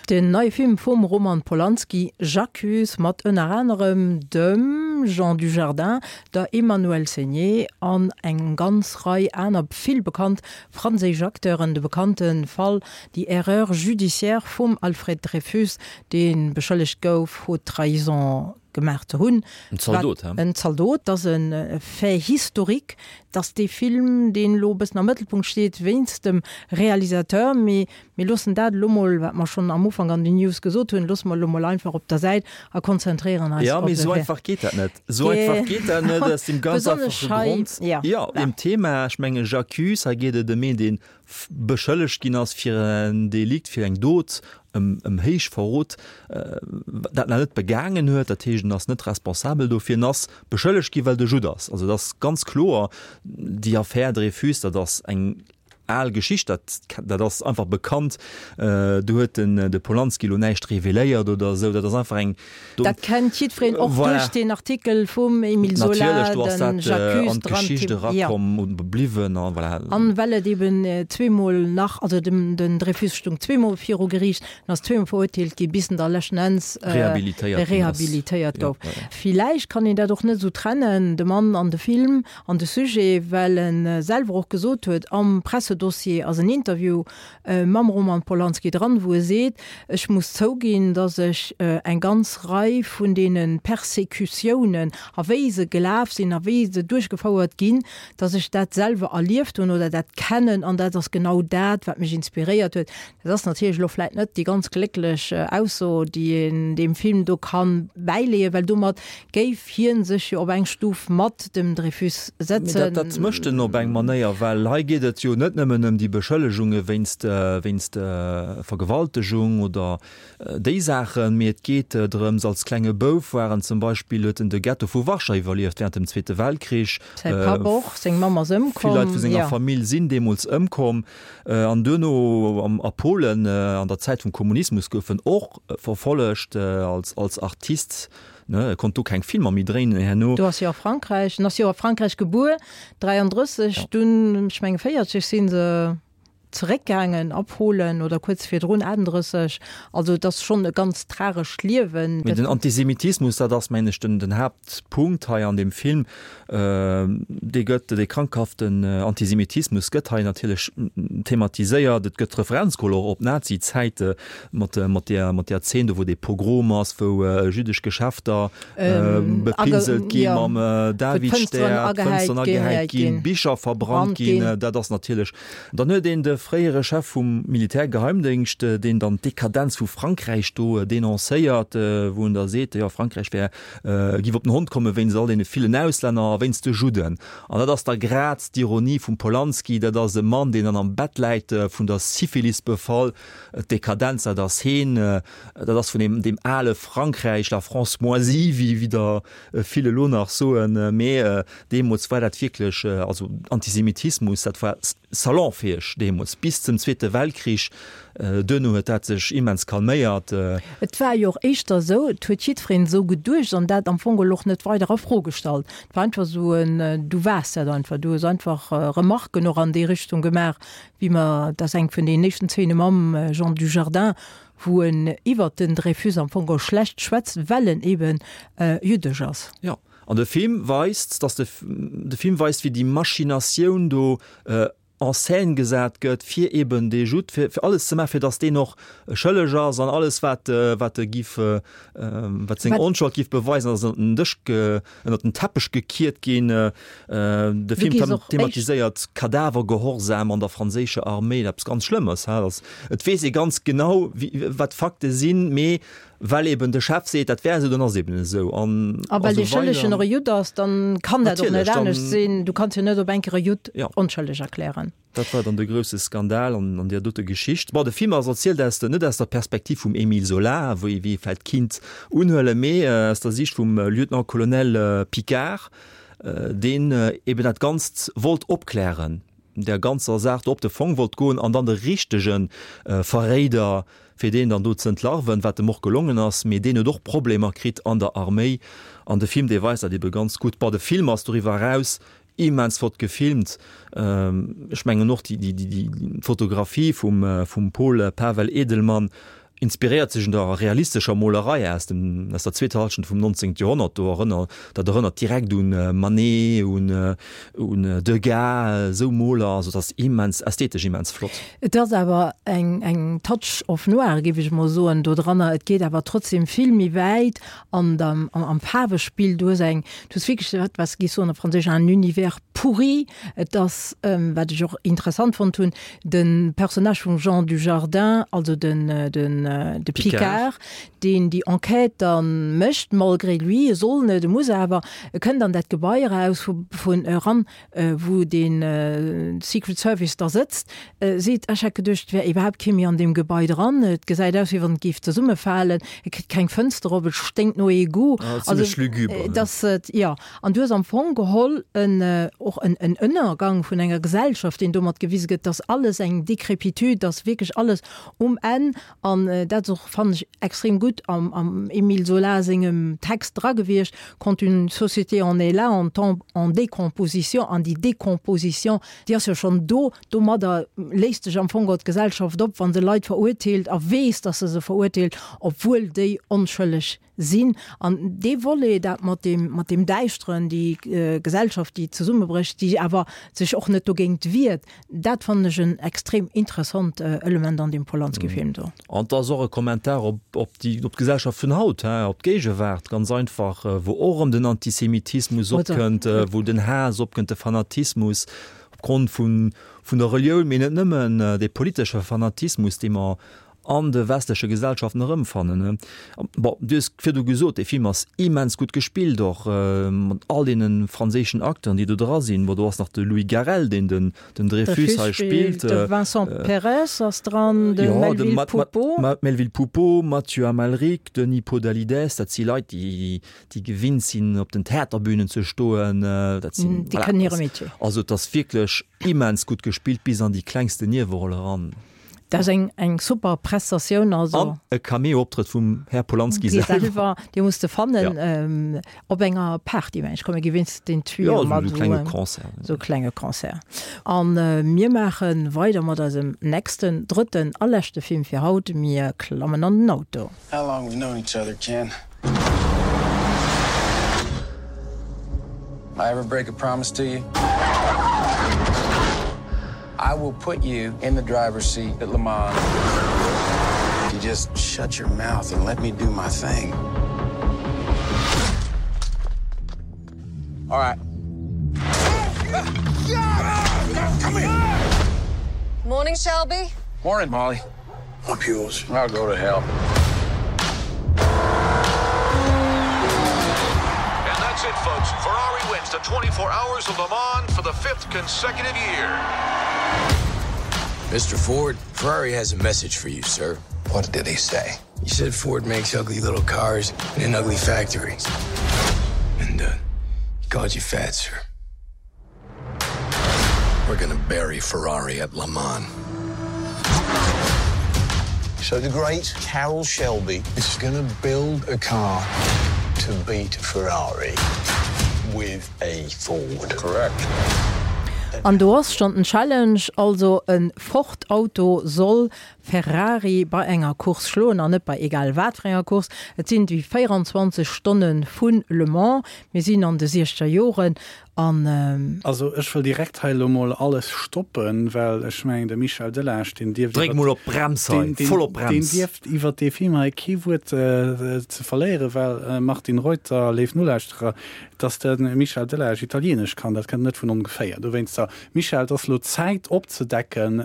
Den neie Film vum Roman Polanski, J'accuse, mat ënner anerem dem Jean Dujardin, der Emmanuelle Seigner an eng ganz Rei aner vill bekannt franséisch Acteuren. De bekannte Fall, déi Erreur judiciaire vum Alfred Dreyfus, dee beschëllegt gouf, Haute Trahison gemaach ze hunn. En Zaldot, he? En Zaldot, dat ass e Fait historique. Dat ass dee Film, deen elo e bëssen am Mëttelpunkt steet wéinst dem Realisateur. Mee mir loossen dat elo mol, wat mer schonn am Ufank an den News gesot hunn, loosse mer elo mol einfach op der Säit a konzentréieren eis Ja, op mee de esou Fait. einfach geet dat net. Esou einfach geet dat net aus deem ganz Besonnesch einfache hei, Grond, ja. jo, deem Thema, ech mengen J'accuse, hei geet et ëm een, dee beschëllegt ginn ass fir en Delikt, fir eng Dot, ëm, ëm Héichverrot, dat en net begaangen huet, dat heescht en ass net responsabel dofir, en ass beschëllegt gi well de Judd ass. Also dat ass ganz kloer, déi Affär Dreyfus, dat ass eng al Geschicht, dat, dat ass einfach bekannt, do huet den de Polanski elo näischt reveléiert oder esou, dat ass einfach eng. Dat kennt jiddwereen, och Voilà. duerch deen Artikel vum Émile Zola, Natierlech, do ass den dat J'accuse an dran, d'Geschicht jo. erakomm und bliwwen a voilà. An well et eben zweemol nach, also dem, den Dreyfus stung zweemol viru Geriicht an ass zweemol verurteelt gi bis en da leschten Enns Rehabilitéiert ginn ass. rehabilitéiert Ja, gouf. ja, ja. Villäicht kann een dat och net esou trennen, de Mann an de Film an de Sujet, well en selwer och gesot huet am Pressedossier ass en Interview mam Roman Polanski dran, wou e seet, Ech muss zouginn, datt ech eng ganz Rei vun deene Persécutiounen a wéi se gelaf sinn a wéi se duerchgefouert ginn, datt ech dat selwer erlieft hunn oder dat kennen an dat ass genau dat, wat mech inspiréiert huet. Dat ass natierlech elo vläicht net déi ganz glécklech Ausso, déi een deem Film do ka bäileeën, well domat géif hie sech jo op eng Stuf mat dem Dreyfus Mee setzen. dat, dat mécht en op eng Manéier, well hei geet et jo net nëmmen nëmmen ëm déi Beschëllegunge wéinst, wéinst Vergewaltegung oder déi Saachen, mee et geet drëms, als klenge Bouf war en zum Beispill, huet en de Ghetto vu Warschau iwwerlieft während dem Zweete Weltkrich. Säi Papp och, seng Mamm ass ëmkomm. Vill Leit vu senger Famill sinn deemools ëmkomm. An duerno a Polen an der Zäit vum Kommunismus gouf en och verfollegt als, als Artist. Ne, e konnt do keng Filmer méi dréinen herno. Du ass jo a Frankräich, en ass jo a Frankräich gebuer, dräiandrësseg, ja. Dunn, ech menge véierzeg si se zeréckgaangen a Polen oder kuerz virdrun, achtendrësseg. Also et ass schonn e ganz tragescht Liewen. Mee den Antisemitismus, dat ass, mengen ech, den, den Haaptpunkt hei an deem Film. Dee gëtt, dee krankhaften Antisemitismus gëtt hei natierlech thematiséiert. Et gëtt Referenz geholl och op d'Nazi-Zäite mat, mat där, mat där Zeen do, wou dee Pogrom ass, wou jüddesch Geschäfter bepinselt gi mam Davidstär, d'Fënsteren agehäit ginn, Bicher verbrannt ginn. Dat ass natierlech. Dann huet een de fréiere Chef vum Militärgeheimdéngscht, deen dann d'Dekadenz vu Frankräich do denoncéiert, wou en da seet, jo Frankräich wär, giff op den Hond komme wéinst all deene villen Auslänner a wéinst de Judden. An dat ass da grad d'Ironie vum Polanski, dat ass e Mann, deen dann am Bett läit, vun der Syphilis befall. D'Dekadenz, dat ass heen, dat ass vun deem, deem ale Frankräich, la France moisie, wéi, wéi der vill elo nach soen. Mee deemools war dat wierklech, also Antisemitismus, dat war salonfäeg deemools, bis zum Zweete Weltkrich. Duerno huet dat sech immens calméiert. Et war jo och éischter esou, et huet jiddwereen esou geduecht an dat am Fong geholl och net weider a Fro gestallt. Et war einfach esou en, du waars dat einfach, du hues einfach Remarken och an déi Richtung gemaach, wéi mer, dat ass eng vun den éischten Zeene mam Jean Dujardin, wou en iwwert den Dreyfus am Fong geholl schlecht schwätzt, well en eben jüddesch ass. Jo, an de Film weist, dass de, de Film weist, wéi déi Machinatioun do en scène gesat gëtt, fir eben dee Judd, fir, fir alles ze maachen, fir dass deen och schëlleg ass an alles, wat, wat e giff, wat seng Onschold giff beweisen, ass ënnert den Dësch, ënnert den Teppech gekiert ginn. De Film thematiséiert Kadavergehorsam an der franséischer Arméi, eppes ganz Schlëmmes, ha, dass, et weess ee ganz genau, wéi, wat d'Fakte sinn, mee well eben de Chef seet, dat wär esou, dann ass eben esou. An a well dee Schëllegen och e Judd ass, dann kann dat och net anescht sinn. Du kanns jo net op eng Kéier e Judd onschëlleg erklären. Dat war dann de grousse Skandal an an där dote Geschicht. Bon, de Film ass erzielt aus der, net aus der Perspektiv vum Émile Zola, wéi wéi ee vläicht kinnt unhuelen, mee aus der Sicht vum Lieutenant-Colonel Picquart, deen eben dat Ganzt wollt opklären, där ganzer Saach do op de Fong wollt goen an dann de richtege Verréider, fir deen dann do ze entlarven, wat em och gelongen ass, mee deen huet och Problemer kritt an der Arméi. An de Film, dee weist dat ebe ganz gutt. Bon, de Film ass doriwwer eraus immens flott gefilmt. Ech mengen och déi, déi, déi Fotografie vum, vum Pol Pavel Edelmann inspiréiert sech un der realistescher Molerei aus dem, aus der zweeter Hallschent vum nonzéngte Joerhonnert. Do erënner, dat erënnert direkt un Manet, un, un Degas, esou Moler. Also et ass immens, ästhetesch immens flott. Et ass awer eng, eng Touch of noir, géif ech emol soen, do dranner. Et geet awer trotzdem vill méi wäit an der, am, am Faarwespill. Du hues eng, du hues wierklech dat, wat se géif soen op Franséisch, un univers pourri. Et ass, wat ech och interessant fonnt hunn, de Personnage vum Jean Dujardin, also den, den, de Picquart, deen déi Enquête da mécht, malgré lui, e soll net, e muss awer, e kënnt an dat Gebai eraus vu, vun eran, wou de Secret Service da sëtzt, seet, ech hätt geduecht, et wär iwwerhaapt kee méi an deem Gebai dran, et gesäit aus, wéi wann et géif zesummefalen, et kritt keng Fënster op, et sténkt no Egout. Ah, zimmlech lugubre. Dass et, jo. An du hues am Fong geholl en, och en, en Ënnergang vun enger Gesellschaft, deen domat gewise gëtt, dass alles eng Décrépitude, dass wierklech alles um Enn, an dat ass och, fannen ech, extrem gutt am, am Émile Zola sengem Text dra gewiescht, Quand une société en est là, en temps en décomposition, an déi Décomposition, déi ass jo schonn do, domadder léist sech am Fong geholl d'Gesellschaft op, wa se Leit verurteelt a weess, dass se se verurteelt, obwuel déi onschëlleg sinn. An dee Volet, dat mat deem, mat deem Däischteren, déi Gesellschaft, déi zesummebrécht, déi awer sech och net dogéint wiert, dat fannen ech en extrem interessant Element an deem Polanski-Film do. An et ass och e Kommentar op, op déi, op d'Gesellschaft vun haut, hein, op d'Géigewaart, ganz einfach, wou och erëm den Antisemitismus opkënnt, wou den Haass opkënnt, de Fanatismus opgrond vun, vun der Relioun, mee net nëmmen, dee politesche Fanatismus, dee mer an de westleche Gesellschaften erëmfannen. Bon, du hues virdu gesot, dee Film ass immens gutt gespillt, och mat all deene franséischen Acteuren, déi do dra sinn. Bon, do ass nach de Louis Garrel, deen den den Dreyfus hei spillt. De Vincent Perez ass dran, de Melvil Poupaud. Melvil Poupaud, Mathieu Amalric, Denis Podalydès, dat si Leit, déi déi gewinnt sinn, op den Theaterbünen ze stoen. Dat sinn, Déi kënnen hire Métier. Also et ass wierklech immens gutt gespillt, bis an déi klengsten Nieweroll eran. Dat ass eng eng super Prestatioun, also. An e Cameo-Optrëtt vum Här Polanski selwer. Selwer, dee muss de fannen, ja. Op enger Party, mengen ech, komme gewinns den Tuyau mat. Jo, esou e klenge Concert. Esou e klenge Concert. An mir maache weider mat eisem nächsten, drëtten a leschte Film fir haut. Mir klammen an den Auto. How long we've known each other, Ken? I ever break a promise to you? I will put you in the driver's seat at Le Mans. You just shut your mouth and let me do my thing. All right. Come here. Morning, Shelby. Morning, Molly. I'm yours. I'll go to hell. And that's it, folks. Ferrari wins the twenty-four hours of Le Mans for the fifth consecutive year. Mister Ford, Ferrari has a message for you, sir. What did he say? He said Ford makes ugly little cars in an ugly factory. And, uh, he called you fat, sir. We're gonna bury Ferrari at Le Mans. So the great Carol Shelby is gonna build a car to beat Ferrari with a Ford. Correct. An do ass schonn den Challenge, also e Ford Auto soll Ferrari bei enger Course schloen an net bei egal wat fir enger Course. Et sinn déi véieranzwanzeg Stonne vu Le Mans. Mir sinn an de siechzeger Joren an. Also ech wëll direkt hei elo mol alles stoppen, well ech mengen de Michel Delage, deen dierft Dréck mol op d'Brems hei, voll op d'Brems! Deen dierft iwwert dee Film hei kee Wuert ze verléieren, well Martine Reuter, léif Nolauschterer, dass de Michel Delage Italienesch kann, dat kënnt net vun ongeféier. Dowéinster, Michel, et ass elo Zäit opzedecken,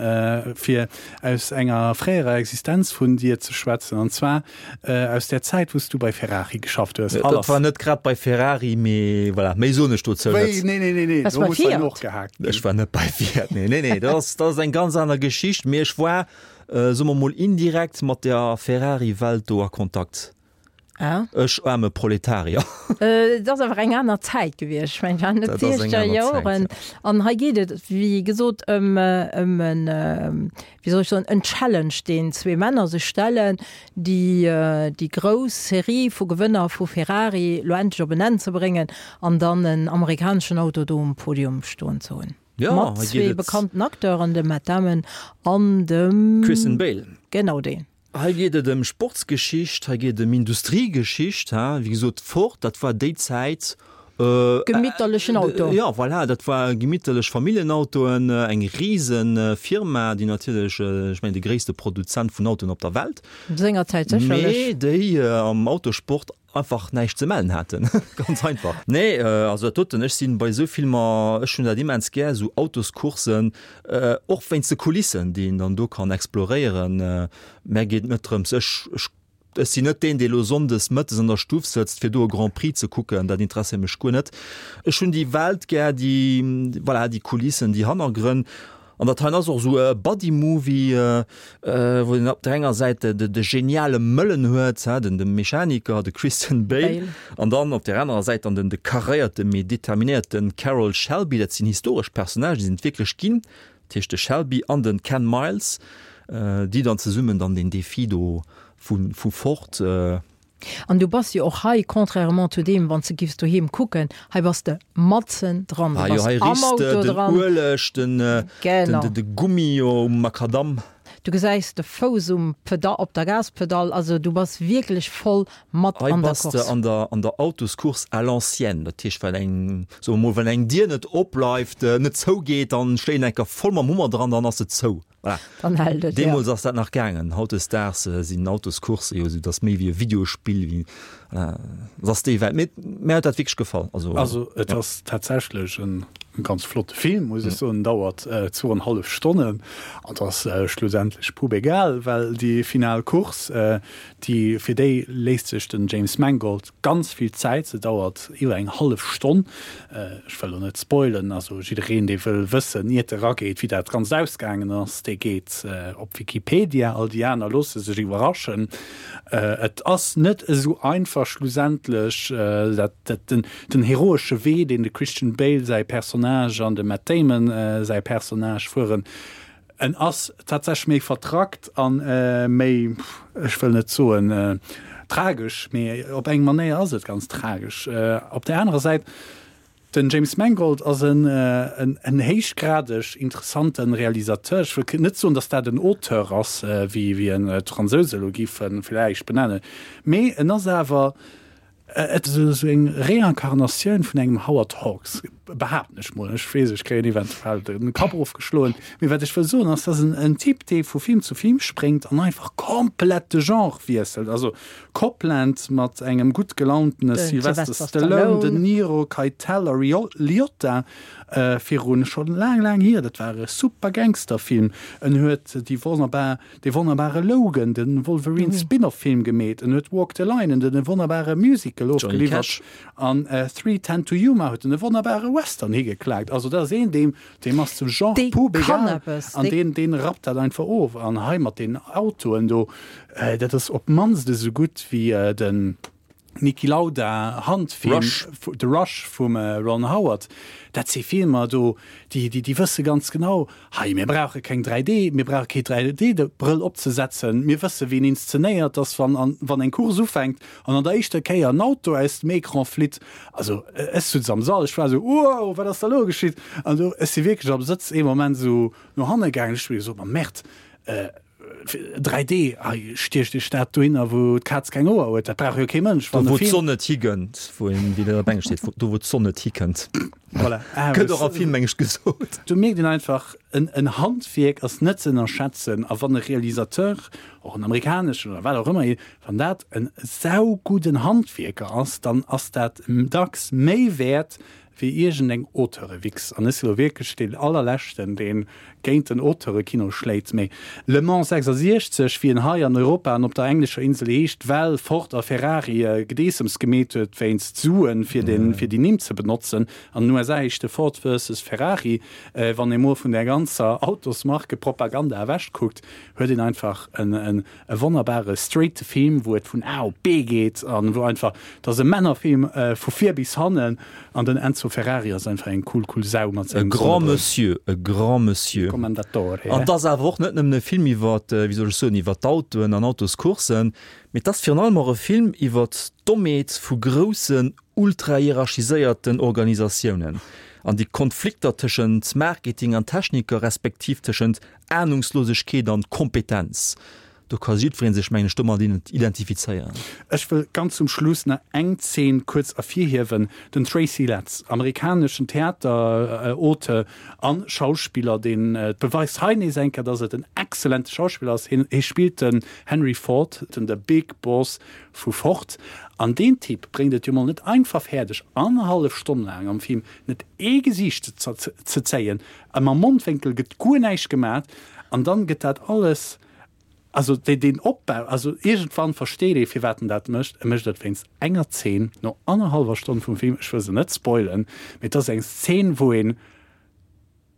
fir aus enger fréierer Existenz vun dir ze schwätzen, an zwar aus där Zäit, wou s du bei Ferrari geschafft hues. Dat war net grad bei Ferrari, mee voilà, méi soen ech dozou net. Wéi? Nee, nee, nee, nee, do muss hei nochgehakt ginn. Ech war net bei Fiat, nee, nee, nee, dat ass, dat ass eng ganz aner Geschicht, mee ech war, soe mer mol, indirekt mat der Ferrari-Welt do a Kontakt. Ah. Ech aarme Proletarier. Et ass awer eng aner Zäit gewiescht. Ech mengen, et waren net d'siechzeger Joren. An hei geet et, wéi gesot, ëm ëm en, wéi soll ech soen, en Challenge, deen zwee Männer sech stellen, déi déi grouss Serie vu Gewënner vu Ferrari lo endlech op en Enn ze bréngen an dann en amerikaneschen Auto do um Podium stoen ze hunn. Ja, Mat hei geet zwee et. bekannten Acteuren, dem Matt Damon an dem. Christian Bale. Genau deen. Hei geet et ëm Sportsgeschicht, hei geet et ëm Industriegeschicht. Wéi gesot, Ford, dat war déi Zäit. Gemitterlechen Auto. Jo, voilà, dat war gemitterlech Familljenautoen, eng rise Firma, déi natierlech, ech mengen, de gréisste Produzent vun Autoen op der Welt. Sengerzäit sécherlech. Mee déi am Autosport einfach näischt ze mellen haten, ganz einfach. Nee, also dat doten, ech sinn bei esou Filmer, ech hunn dat immens gär, esou Autoscoursen, och wéinst de Kulissen, déi een dann do kann exploréieren. Mär geet et net drëms, ech, ech, ech sinn net deen, dee lo sonndes mëttes an der Stuff sëtzt, fir do e Grand Prix ze kucken, dat interesséiert mech guer net. Ech hunn déi Welt gär, déi, voilà, déi Kulissen, déi Hannergrënn. An dat heien ass och esou e Buddy-Movie, wou een op der enger Säit de geniale Mëllen huet, den de Mechaniker, de Christian Bale, an dann op der anerer Säit dann den de karéierte mee determinéierte Carroll Shelby. Dat sinn historesch Personnagen, déi sinn et wierklech ginn, dat heescht de Shelby an de Ken Miles, déi dann zesummen dann deen Defi do vu Ford. An du bass jo och hei, contrairement zu deem, wann s de giffs doheem kucken, hei bass de matzen dran, du Ah jo, bass hei am richs de Auto den dran. Ueleg, den, den, Genau. de Gummi jo um Makadamm. Du gesäis de Fouss um Peda-, op der Gaspedall, also du bass wierklech voll mat Hei an der bass de Course. an der, an der Autoscourse à l'ancienne, dat heescht, wann eng, soe mer mol, wann eng Dier net opbleift, net zougeet, dann schléit een eng Kéier voll mam Hummer dran, dann ass se zou. Voilà. Dann hält et, ja. Deemools ass dat nach gaangen. Hautdesdaags sinn Autoscoursse jo esou, dat ass méi wéi e Videospill, wéi Voilà, et ass déi Welt. Mee mär huet dat wierklech gefall. Also, also et ass tatsächlech en ganz flotte Film, muss ech soen. Dauert zwou an hallef Stonnen an et ass schlussendlech pubegal, well déi final Course, déi, fir déi léisst sech den James Mangold ganz vill Zäit. Se dauert iwwer eng hallef Stonn. Ech wëll elo net spoilen, also jiddereen, dee wëll wëssen, iert e rageet, wéi dat Ganzt ausgaangen ass, dee geet op Wikipedia. All déi aner loosse sech iwwerraschen. Et ass net esou einfach schlussendlech, dat den, den heroesche Wee, deen de Christian Bale säi Personnage an de Matt Damon säi Personnage fueren, en ass tatsächlech méi vertrackt a méi, ech wëll net soen tragesch, mee op eng Manéier ass et ganz tragesch. Op där anerer Säit, den James Mangold ass en en héichgradeg interessante Realisateur. Ech wëll net soen, datt dat en Auteur ass, wéi wéi en d'Fransouse elo géife vläicht benennen, mee en ass awer et esou eng Reinkarnatioun vun engem Howard Hawks, behaapten ech mol. Ech weess, ech kréien eventuell de Kapp ofgeschloen, mee wat ech wëll soen ass, dat ass en Typ, dee vu Film zu Film spréngt an einfach komplett de Genre wiesselt. Also Copland mat engem gutt gelauntene Sylvester Stallone, De Niro, Keitel a Liotta virun schonn laang, laang hier, dat war e super Gangsterfilm. En huet déi wonnerbar, dee wonnerbare Logan, de Wolverine Spin-off-Film gemeet. En huet Walk the Line, en wonnerbare Musical ofgeliwwert. An Three Ten to Yuma huet en e wonnerbare Western higeklaakt. Also dat ass een, deem, deem ass de Genre pup egal an deen, deen rappt dat einfach of. An hei mat deenen Autoen do, dat ass op d'mannst esou gutt wéi den Niki Lauda Handfilm Rush. The Rush vum Ron Howard. Dat si Filmer do, déi, déi, déi wësse ganz genau, hei mir brauche keng dräi D, mir brauche kee dräi D-Brëll opzesetzen, mir wësse wéi een inszenéiert, dass wann, wann eng Course ufänkt an an der éischter Kéier en Auto aus dem Ecran flitt, also ech sutz am Sall, ech war esou, wow, wat ass da elo geschitt? An do, ech si wierklech am Sëtz ee Moment esou no hanne gaangen, ech hu mir gesot, ma Merde, dräi D, hei stiecht Iech dat dohinner, wou d'Kaz keng Hoer huet, dat brauch jo kee Mënsch. Do wou d'Sonn net higënnt, wou een, wéi dat op Englesch steet, do wou d'Sonn net hikënnt. Voilà. Gëtt och a Film Englesch gesot. Do mierkt een einfach, en, en Handwierk ass net ze ënnerschätzen. A wann e Realisateur, och en amerikaneschen oder wat och ëmmer, wann dat en saugudden Handwierker ass, dann ass dat dacks méi wäert wéi iergendeng Auteure-Wichs, an ech si lo wierklech deen allerleschten, dee géint den Auteurekino schléit, mee Le Mans sechsasiechzeg, wéi en hei an Europa an op der englescher Insel heescht, well Ford a Ferrari Gedeessems gemeet huet wéinst Suen, fir den, fir déi Nimm ze benotzen. An den U S A heescht e Ford versus Ferrari. Wann ee mol vun där ganzer Autosmarke-Propaganda ewechkuckt, huet een einfach en, en E wonnerbare straighte Film, wou et vun A op B geet an wou einfach, et ass e Männerfilm vu vir bis hannen an den Enzo Ferrari ass einfach eng cool cool Sau mat E sengem grand Sonnebrëll. Monsieur, e grand Monsieur. Commendatore, An et ass awer och net nëmmen e Film iwwer, wéi soll ech soen, iwwer d'Autoen an Autoscourssen, mee et ass virun allem och e Film iwwer d'Dommheet vu groussen, ultra-hierarchiséierten Organisatiounen an déi Konflikter tëschent Marketing an Techniker, respektiv tëschent Ahnungslosegkeet an Kompetenz. Do ka jiddweree sech, mengen ech, domat identifizéieren. Ech wëll ganz zum Schluss nach eng Zeen kuerz ervirhiewen, Den Tracy Letts, amerikaneschen Theaterauteur a Schauspiller, deen beweist hei nees eng Kéier, dass et en exzellente Schauspiller ass. Hien hie spillt den Henry Ford, den the Big Boss vu Ford. An deen Typ bréngt et jo mol net einfach fäerdeg, annerhallef Stonn laang am Film net ee Gesiicht ze zéien, a mam Mondwénkel gëtt guer näischt gemat, an dann gëtt dat alles, also deen Opbau, also iergendwann versteet ee firwat en dat mécht, e mécht et wéinst enger Zeen no annerhallwer Stonn vum Film, ech wëll se net spoilen, mee et ass eng Zeen wou ee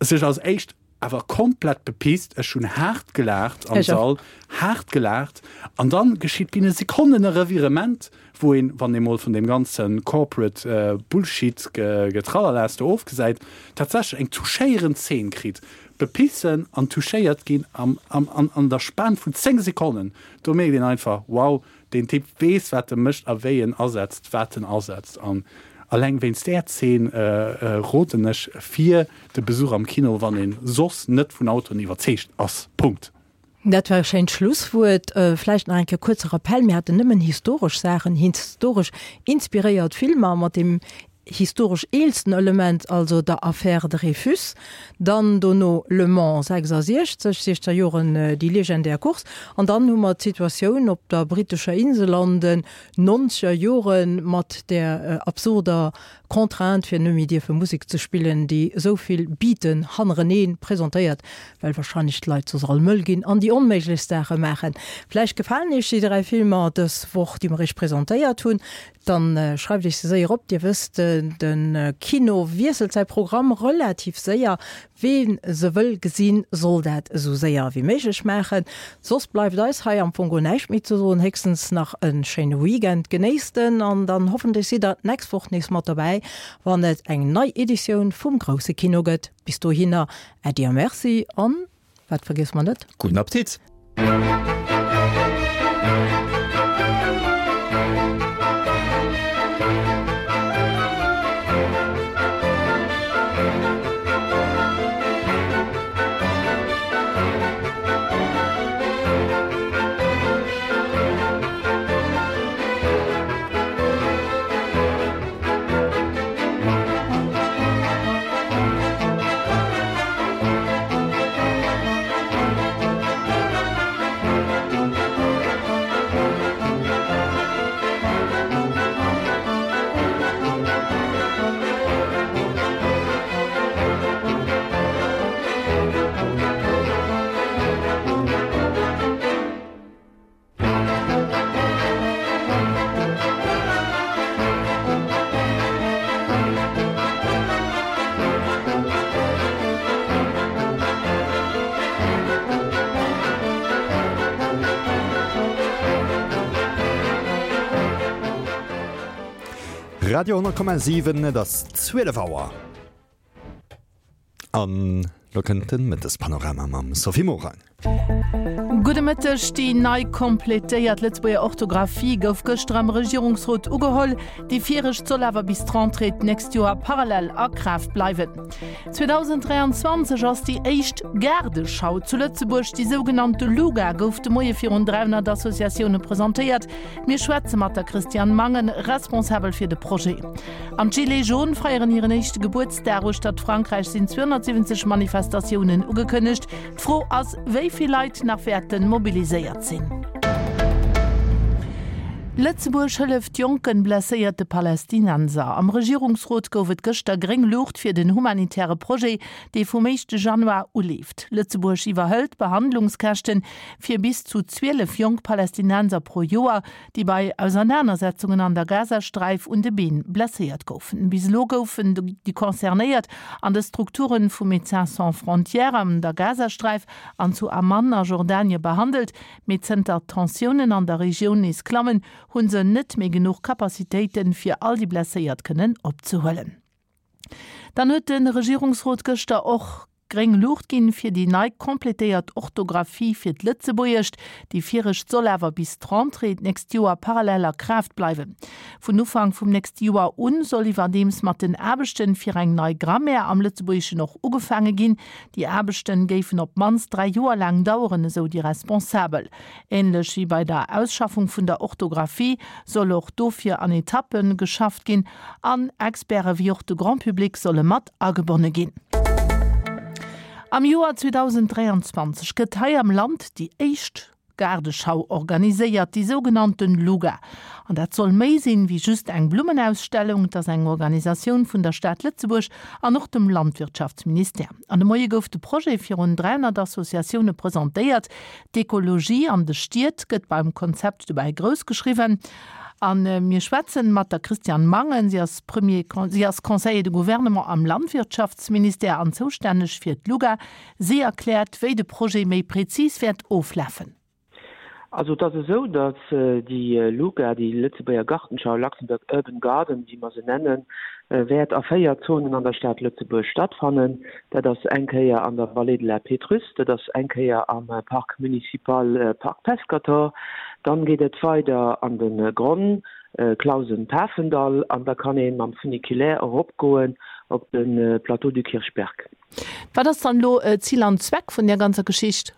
sech als éischt awer komplett bepisst, ech hunn haart gelaacht am Sall, haart gelaacht, an dann geschitt binne Sekonnen e Revirement, wou een, wann ee mol vun deem ganze corporate Bullshit Getrallerlaas do ofgesäit, tatsächlech eng touchéierend Zeen kritt. Bepissen an touchéiert ginn am an der Span vun zéng Sekonnen. Do mierkt een einfach, wow, deen Typ weess wat e mécht a wéi en asetzt wat en asetzt. An alleng wéinst där Zeen roden ech fir de Besuch am Kino, wann een soss net vun Autoen iwwerzeegt ass. Punkt. Dat war e schéint Schlusswuert. Vläicht nach eng Kéier kuerze Rappell, Mir haten nëmmen historesch Saachen, historesch inspiréiert Filmer mat deem historesch eelsten Element, also der Affaire Dreyfus, dann dono Le Mans sechsasiechzeg, siechzeger Joren, déi legendär Course, an dann hu mer d'Situatioun op der brittescher Insel an den nonzeger Jore mat där absurder Contrainte fir net méi dierfe Musek ze spillen, déi esou vill Beaten hannerenee presentéiert, well wahrscheinlech d'Leit soss all mëll ginn an déi onméiglechst Saache maachen. Vläicht gefalen Iech déi dräi Filmer dës Woch, déi mer Iech presentéiert hunn. Dann schreift Iech se séier op. Dir wësst, de Kino wiesselt säi Programm relativ séier. Ween se wëll gesinn, soll dat esou séier wéi méiglech maachen. Soss bleift eis hei am Fong guer näischt méi ze soen, héchstens nach e schéine Weekend. Genéisst en an dann hoffentlech sidd der d'nächst Woch nees mat dobäi, wann et eng nei Editioun vum Grousse Kino gëtt. Bis dohinner, Äddi a Merci an, wat vergiesse mer net? Gudden Appetit! Radio honnert Komma siwen, et ass zwielef Auer. An lo kënnt de Mëttespanorama mam Sophie Morang. Gudde Mëtteg, Déi nei completéiert Lëtzebuerger Orthografie gouf gëschter am Regierungsrot ugeholl. Déi viregt soll awer bis d'Rentrée d'nächst Joer parallel a Kraaft bleiwen. zweedausenddräianzwanzeg ass déi éischt Gaardeschau zu Lëtzebuerg, déi sougenannte LUGA, gouf de Moie virun dräihonnert Associatioune presentéiert. Mir schwätze mat der Christiane Mangen, Responsabel fir de Projet. An d'Gilets jaunes feieren hiren éischte Gebuertsdag. Uechtert Frankräich sinn zweehonnertsiwwenzeg Manifestatiounen ugekënnegt. D'Fro ass, wéi vill Leit nach wäerte mobiliséiert sinn. Lëtzebuerg hëlleft jonken blesséierte Palästinenser. Am Regierungsrot gouf et gëschter gréng Luucht fir den humanitäre Projet, dee vum éischte Januar uleeft. Lëtzebuerg iwwerhëlt d'Behandlungskäschte fir bis zu zwielef jonk Palästinenser pro Joer, déi bei Ausernanersetzungen an der Gazasträif un de Been blesséiert goufen. Bis elo goufen déi Concernéiert an de Strukture vu Médecins sans frontières an der Gazasträif an zu Amman a Jordanie behandelt, mee zënter d'Tensiounen an der Regioun nees klammen, hu se net méi genuch Capacitéiten, fir all déi Blesséiert kënnen opzehuelen. Dann huet de Regierungsrot gëschter och gréng Luucht ginn fir déi nei completéiert Orthografie fir d'Lëtzebuergescht. Déi viregt soll awer bis d'Rentrée d'nächst Joer parallel a Kraaft bleiwen. Vun Ufank vum nächste Joer un soll iwwerdeems mat den Aarbechten fir eng nei Grammaire am Lëtzebuergeschen och ugefaange ginn. Déi Aarbechten géifen op d'mannst dräi Joer laang daueren, esou déi Responsabel. Änlech wéi bei der Ausschaffung vun der Orthografie soll och dofir an Etappe geschafft ginn an Experte wéi och de Grand Public solle mat agebonne ginn. Am Joer zweedausenddräianzwanzeg gëtt hei am Land déi éischt Gaardeschau organiséiert, déi sougenannten LUGA. An dat soll méi sinn, wéi just eng Blummenausstellung. Et ass eng Organisatioun vun der Stad Lëtzebuerg an och dem Landwirtschaftsministère. An de Moie gouf de Projet virun dräihonnert Associatioune presentéiert. D'Ekologie an de Stied gëtt beim Konzept dobäi grouss geschriwwen. A mir schwätzen mat der Christiane Mangen, si ass Premier, si ass Conseiller de Gouvernement am Landwirtschaftsministère an zoustänneg fir d'LUGA. Si erkläert, wéi de Projet méi prezis wäert oflafen. Also et ass esou, datt déi LUGA, déi Lëtzebuerger Gartenschau, Luxembourg Urban Garden, wéi mer se nennen, wäert a véier Zonen an der Stad Lëtzebuerg stattfannen. Dat ass eng Kéier an der Vallée de la Pétrusse, dat ass eng Kéier am Parc municipal Parc Pescator, dann geet et weider an de Gronn, Clausen-Pafendall an da kann ee mam Funiculaire eropgoen op de Plateau du Kirchberg. Wat ass dann elo Zil an Zweck vun där ganzer Geschicht?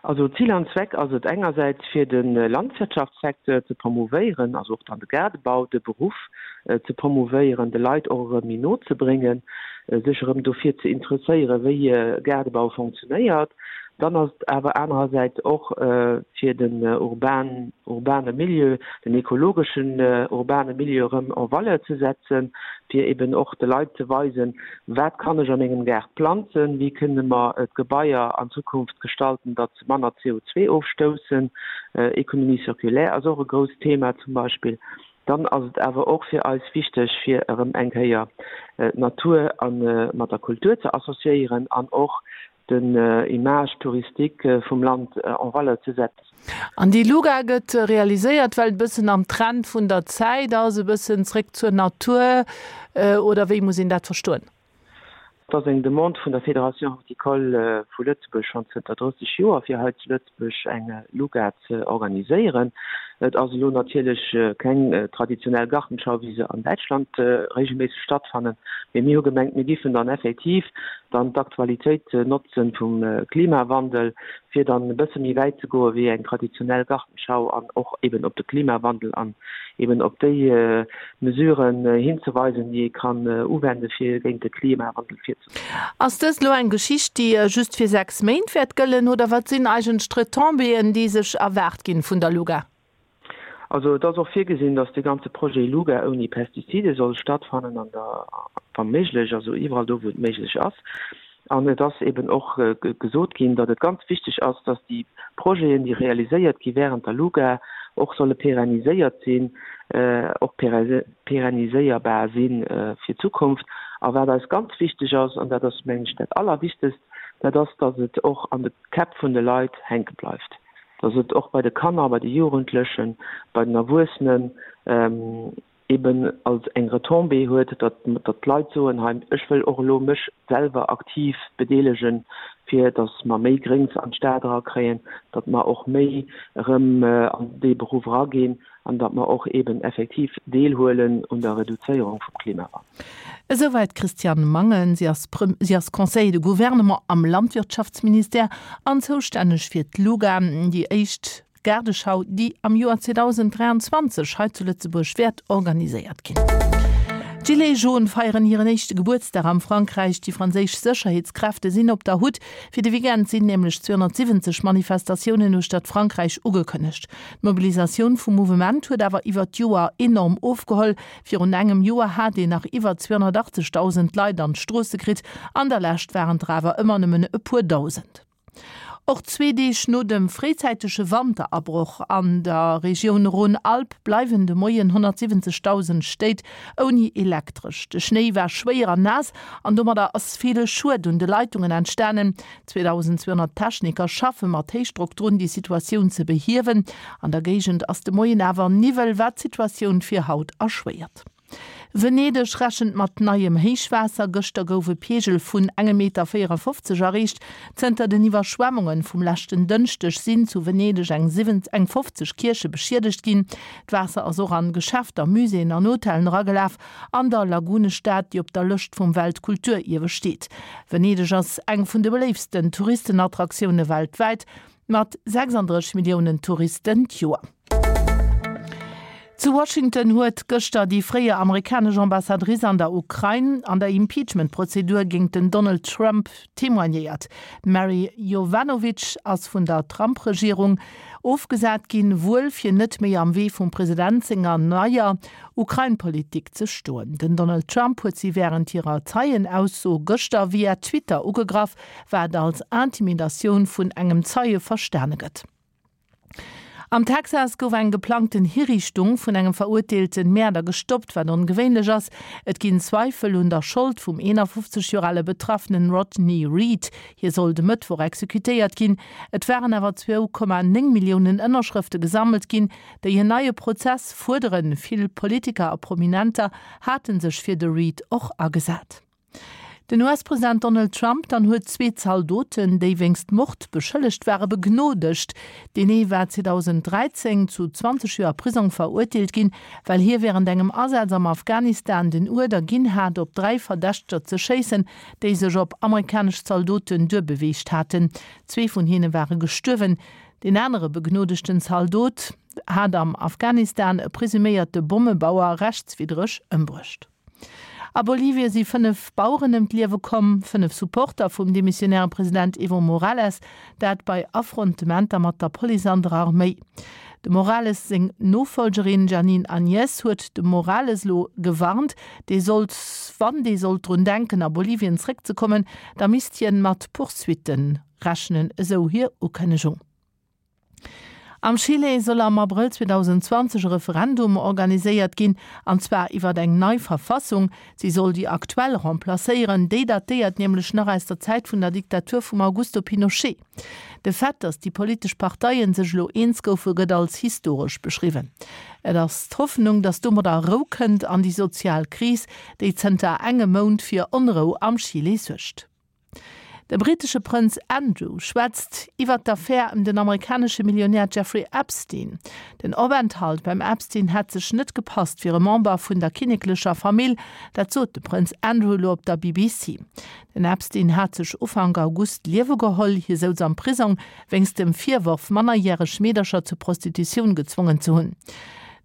Also Zil an Zweck ass et engersäits fir de Landwirtschaftssecteur ze promouvéieren, also och dann de Gaardebau, de Beruff ze promouvéieren, de Leit och erëm méi no ze bréngen, sech erëm dofir ze interesséieren, wéi Gaardebau fonctionnéiert. Dann ass et awer anerersäits och fir den urban, urbane Milieu, den ekologeschen urbane Milieu erëm en valeur ze setzen, fir eben och de Leit ze weisen, wat kann ech a mengem Gaart planzen, wéi kënne mer d'Gebaier an Zukunft gestalten, datt se manner C O zwee ofstoussen. Économie circulaire ass och e grousst Thema zum Beispill. Dann ass et awer och fir eis wichteg, fir erëm eng Kéier d'Natur a mat der Kultur ze associéieren an och den Image touristique vum Land en valeur ze setzen. An déi Luga gëtt realiséiert, well et e bëssen am Trend vun der Zäit ass, e bëssen zréck zur Natur, oder wéi muss een dat verstoen? Et ass eng Demande vun der Fédération Horticole vu Lëtzebuerg schonn zënter drësseg Joer, fir hei zu Lëtzebuerg eng Luga ze organiséieren. Et ass elo natierlech keng traditionell Gartenschau, wéi se an Däitschland regelméisseg stattfannen, mee mir hu gemengt, mir giffen dann effektiv dann d'Aktualitéit notzen vum Klimawandel, fir dann e bësse méi wäit ze goe wéi eng traditionell Gartenschau an och eben op de Klimawandel an eben op déi Mesuren hinzeweisen, déi ee kann uwende fir géint de Klimawandel virzegoen. Ass dëst elo eng Geschicht, déi just fir sechs Méint wäert gëllen, oder wat sinn eigentlech d'Retombéeën, déi sech erwaart ginn vun der Luga? Also et ass och virgesinn, datt de ganze Projet Luga ouni Pestizide soll stattfannen an der, wa méiglech, also iwwerall do, wou et méiglech ass. An et ass eben och gesot ginn, datt et ganz wichteg ass, datt déi Projeten, déi realiséiert gi während der Luga, och solle pérenniséiert sinn, och pérenniséierbar si fir d'Zukunft. A wat eis ganz wichteg ass, an dat ass, mengen ech, dat Allerwichtegst, dat ass, datt et och an de Käpp vun de Leit hänke bleift, datt et och bei de Kanner, bei de Jugendlechen, bei den Erwuessenen eben als eng Retombée huet, datt datt d'Leit soen, hei, ech wëll och elo mech selwer aktiv bedeelegen, fir datt mer méi Gréngs an d'Stad erakréien, datt mer och méi erëm an dee Beruff eraginn an datt mer och eben effektiv deelhuelen un der Reduzéierung vum Klimawandel. Esouwäit d'Christiane Mangen. Si ass si ass Conseiller de gouvernement am Landwirtschaftsministère an zoustänneg fir d'LUGA, déi éischt Gaardeschau, déi am Joer zweedausenddräianzwanzeg hei zu Lëtzebuerg wäert organiséiert ginn. D'Gilets jaunes feieren hiren éischte Gebuertsdag am Frankräich. Déi franséisch Sécherheetskräfte sinn op der Hutt. Fir de Weekend sinn nämlech zweehonnertsiwwenzeg Manifestatiounen uechtert Frankräich ugekënnegt. D'Mobilisatioun vum Mouvement huet awer iwwert d'Joer enorm ofgeholl. Virun engem Joer hat een nach iwwer zweehonnertachtzegdausend Leit an d'Stroosse kritt, an der Lescht waren der awer ëmmer nëmmen e puer Dausend. Och zwee Deeg no dem fréizäitege Wanterabroch an der Regioun Rhône-Alpes bleiwen de Moien honnertsiwwenzegdausend Stéit ouni Elektresch. De Schnéi war schwéier an naass an domadder ass ville Schued un de Leitungen entstanen. zweedausendzweehonnert Techniker schaffe mat Héichdrock drun, déi Situatioun ze behiewen. An der Géigend ass de Moien awer Niwwel, wat d'Situatioun fir haut erschwéiert. Venedeg rechent mat neiem Héichwaasser. Gëschter gouf e Peegel vun engem Meter véierafofzeg erreecht. Zënter den Iwwerschwemmunge vum leschten Dënschdeg sinn zu Venedeg eng eng fofzeg Kierche beschiedegt ginn. D'Waasser ass och an Geschäfter, Muséeën an Hotellen eragelaf. An der Lagunestad, déi op der Lëscht vum Weltkulturierwe steet. Venedeg ass eng vun de beléiftsten Touristenattraktioune weltwäit, mat sechsandrësseg Milliounen Touristen d'Joer. Zu Washington huet gëschter déi fréier amerikanesch Ambassadrice an der Ukrain an der Impeachment-Prozedur géint den Donald Trump témoignéiert. D'Mary Yovanovitch ass vun der Trump-Regierung ofgesat ginn, wuel fir net méi am Wee vum President senger neier Ukrain-Politik ze stoen. Den Donald Trump huet si wärend hirer Zeien-Ausso gëschter via Twitter ugegraff, wat als Intimidatioun vun engem Zeie verstane gëtt. Am Texas gouf eng geplangten Hiriichtung vun engem verurteelte Mäerder gestoppt, wat ongewéinlech ass. Et ginn Zweifel un der Schold vum eenafofzeg Joer ale Betraffenen Rodney Reed. Hie soll de Mëttwoch exekutéiert ginn. Et waren awer zwou Komma néng Milliounen Ënnerschrëfte gesammelt ginn, déi en neie Prozess fuerderen. Vill Politiker a Prominenter hate sech fir de Reed och agesat. Den U S-President Donald Trump dann huet zwee Zaldoten, déi wéinst Mord beschëllegt ware, begnodegt. Deen ee war zweedausenddräizéng zu zwanzeg Joer Prisong verurteelt ginn, well hie wärend engem Asaz am Afghanistan den Uerder ginn hat, op dräi Verdächteger ze schéissen, déi sech op amerikanesch Zaldoten duerbeweegt haten. Zwee vun hinne ware gestuerwen. Deen anere begnodegten Zaldot hat am Afghanistan e presuméierte Bommebauer rechtswiddreg ëmbruecht. A Bolivie si fënnef Baueren ëm d'Liewe komm, fënnef Supporter vum demissionäre President Evo Morales, dat bei Affrontementer mat der Police an der Arméi. Dem Morales seng Nofollgerin Jeanine Áñez huet de Morales elo gewarnt, dee sollt, wann dee sollt drun denken a Bolivien zréckzekommen, da misst hien mat Poursuitten rechnen, esou hir Ukënnegung. Am Chile soll am Abrëll zweedausendzwanzeg e Referendum organiséiert ginn, an zwar iwwer eng nei Verfassung. Si soll déi aktuell remplacéieren, déi datéiert nämlech nach aus der Zäit vun der Diktatur vum Augusto Pinochet. De Fait, datt déi politesch Parteien sech elo eens goufe, gëtt als historesch beschriwwen. Et ass d'Hoffnung, datt domadder Rou kënnt an déi sozial Kris, déi zënter engem Mount fir Onrou am Chile suergt. De brittesche Prënz Andrew schwätzt iwwer d'Affär ëm den amerikanesche Millionär Jeffrey Epstein. Den Openthalt beim Epstein hätt sech net gepasst fir e Member vun der kinneklecher Famill, dat sot de Prënz Andrew elo op der B B C. Den Epstein hat sech Ufank August d'Liewe geholl. Hie souz am Prisong wéinst dem Virworf, mannerjäreg Meedercher zur Prostitutioun gezwongen ze hunn.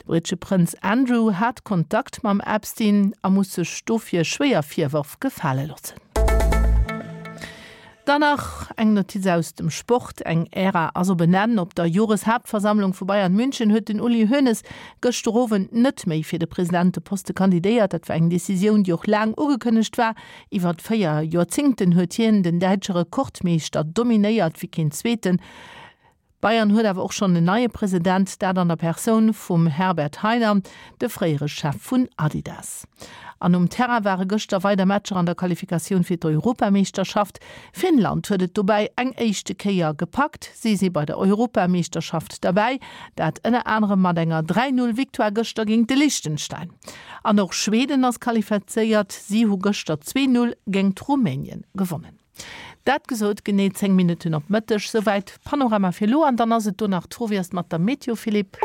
De brittesche Prënz Andrew hat Kontakt mam Epstein a muss sech dofir schwéier Virwërf gefale loossen. Dann nach eng Notiz aus dem Sport, Eng Ära ass op en Enn. Op der Joreshaaptversammlung vu Bayern München huet den Uli Hoeneß gëschter Owend net méi fir de Presidenteposte kandidéiert. Dat war eng Decisioun, déi och laang ugekënnegt war. Iwwer véier Joerzéngten huet hien den däitsche Rekordmeeschter dominéiert wéi keen Zweeten. Bayern huet awer och schonn en neie President, dat an der Persoun vum Herbert Hainer, de fréiere Chef vun Adidas. An um Terrain ware gëschter weider Matcher an der Qualifikatioun fir d'Europameeschterschaft. Finnland huet et dobäi eng éischte Kéier gepackt, si si bei der Europameeschterschaft derbäi, dat ënner anerem mat enger dräi Null Victoire gëschter géint de Liechtenstein. An och Schweden ass qualifizéiert, si hu gëschter zwee Null géingt Rumänien gewonnen. Dat gesot, genee zéng Minutten op Mëtteg. Souwäit Panorama fir elo. An dann ass et do nach d'Fro, wéi ass et mat der Meteo, Philippe?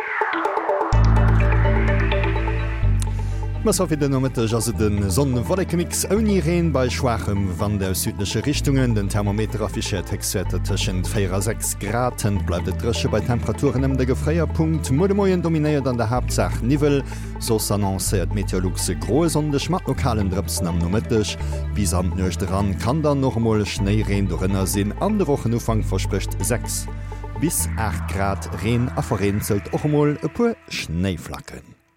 Masso fir den Nomëtteg ass et e Sonn-Wollekemix ouni Reen bei schwaachem Wand aus südleche Richtungen. Den Thermometer affichéiert Héchstwäerter tëschent véier a sechs Grad. Hënt bleift et dréche bei Temperaturen ëm de Gefréierpunkt. Muer de Moien dominéiert an der Haaptsaach Niwwel. Soss annoncéiert Meteolux e groe Sonndeg mat lokalen Drëpsen am Nomëtteg. Bis an d'Nuecht eran kann dann och emol Schnéireen dorënner sinn an de Wochenufank versprécht sechs bis aacht Grad, Reen a vereenzelt och emol e puer Schnéiflacken.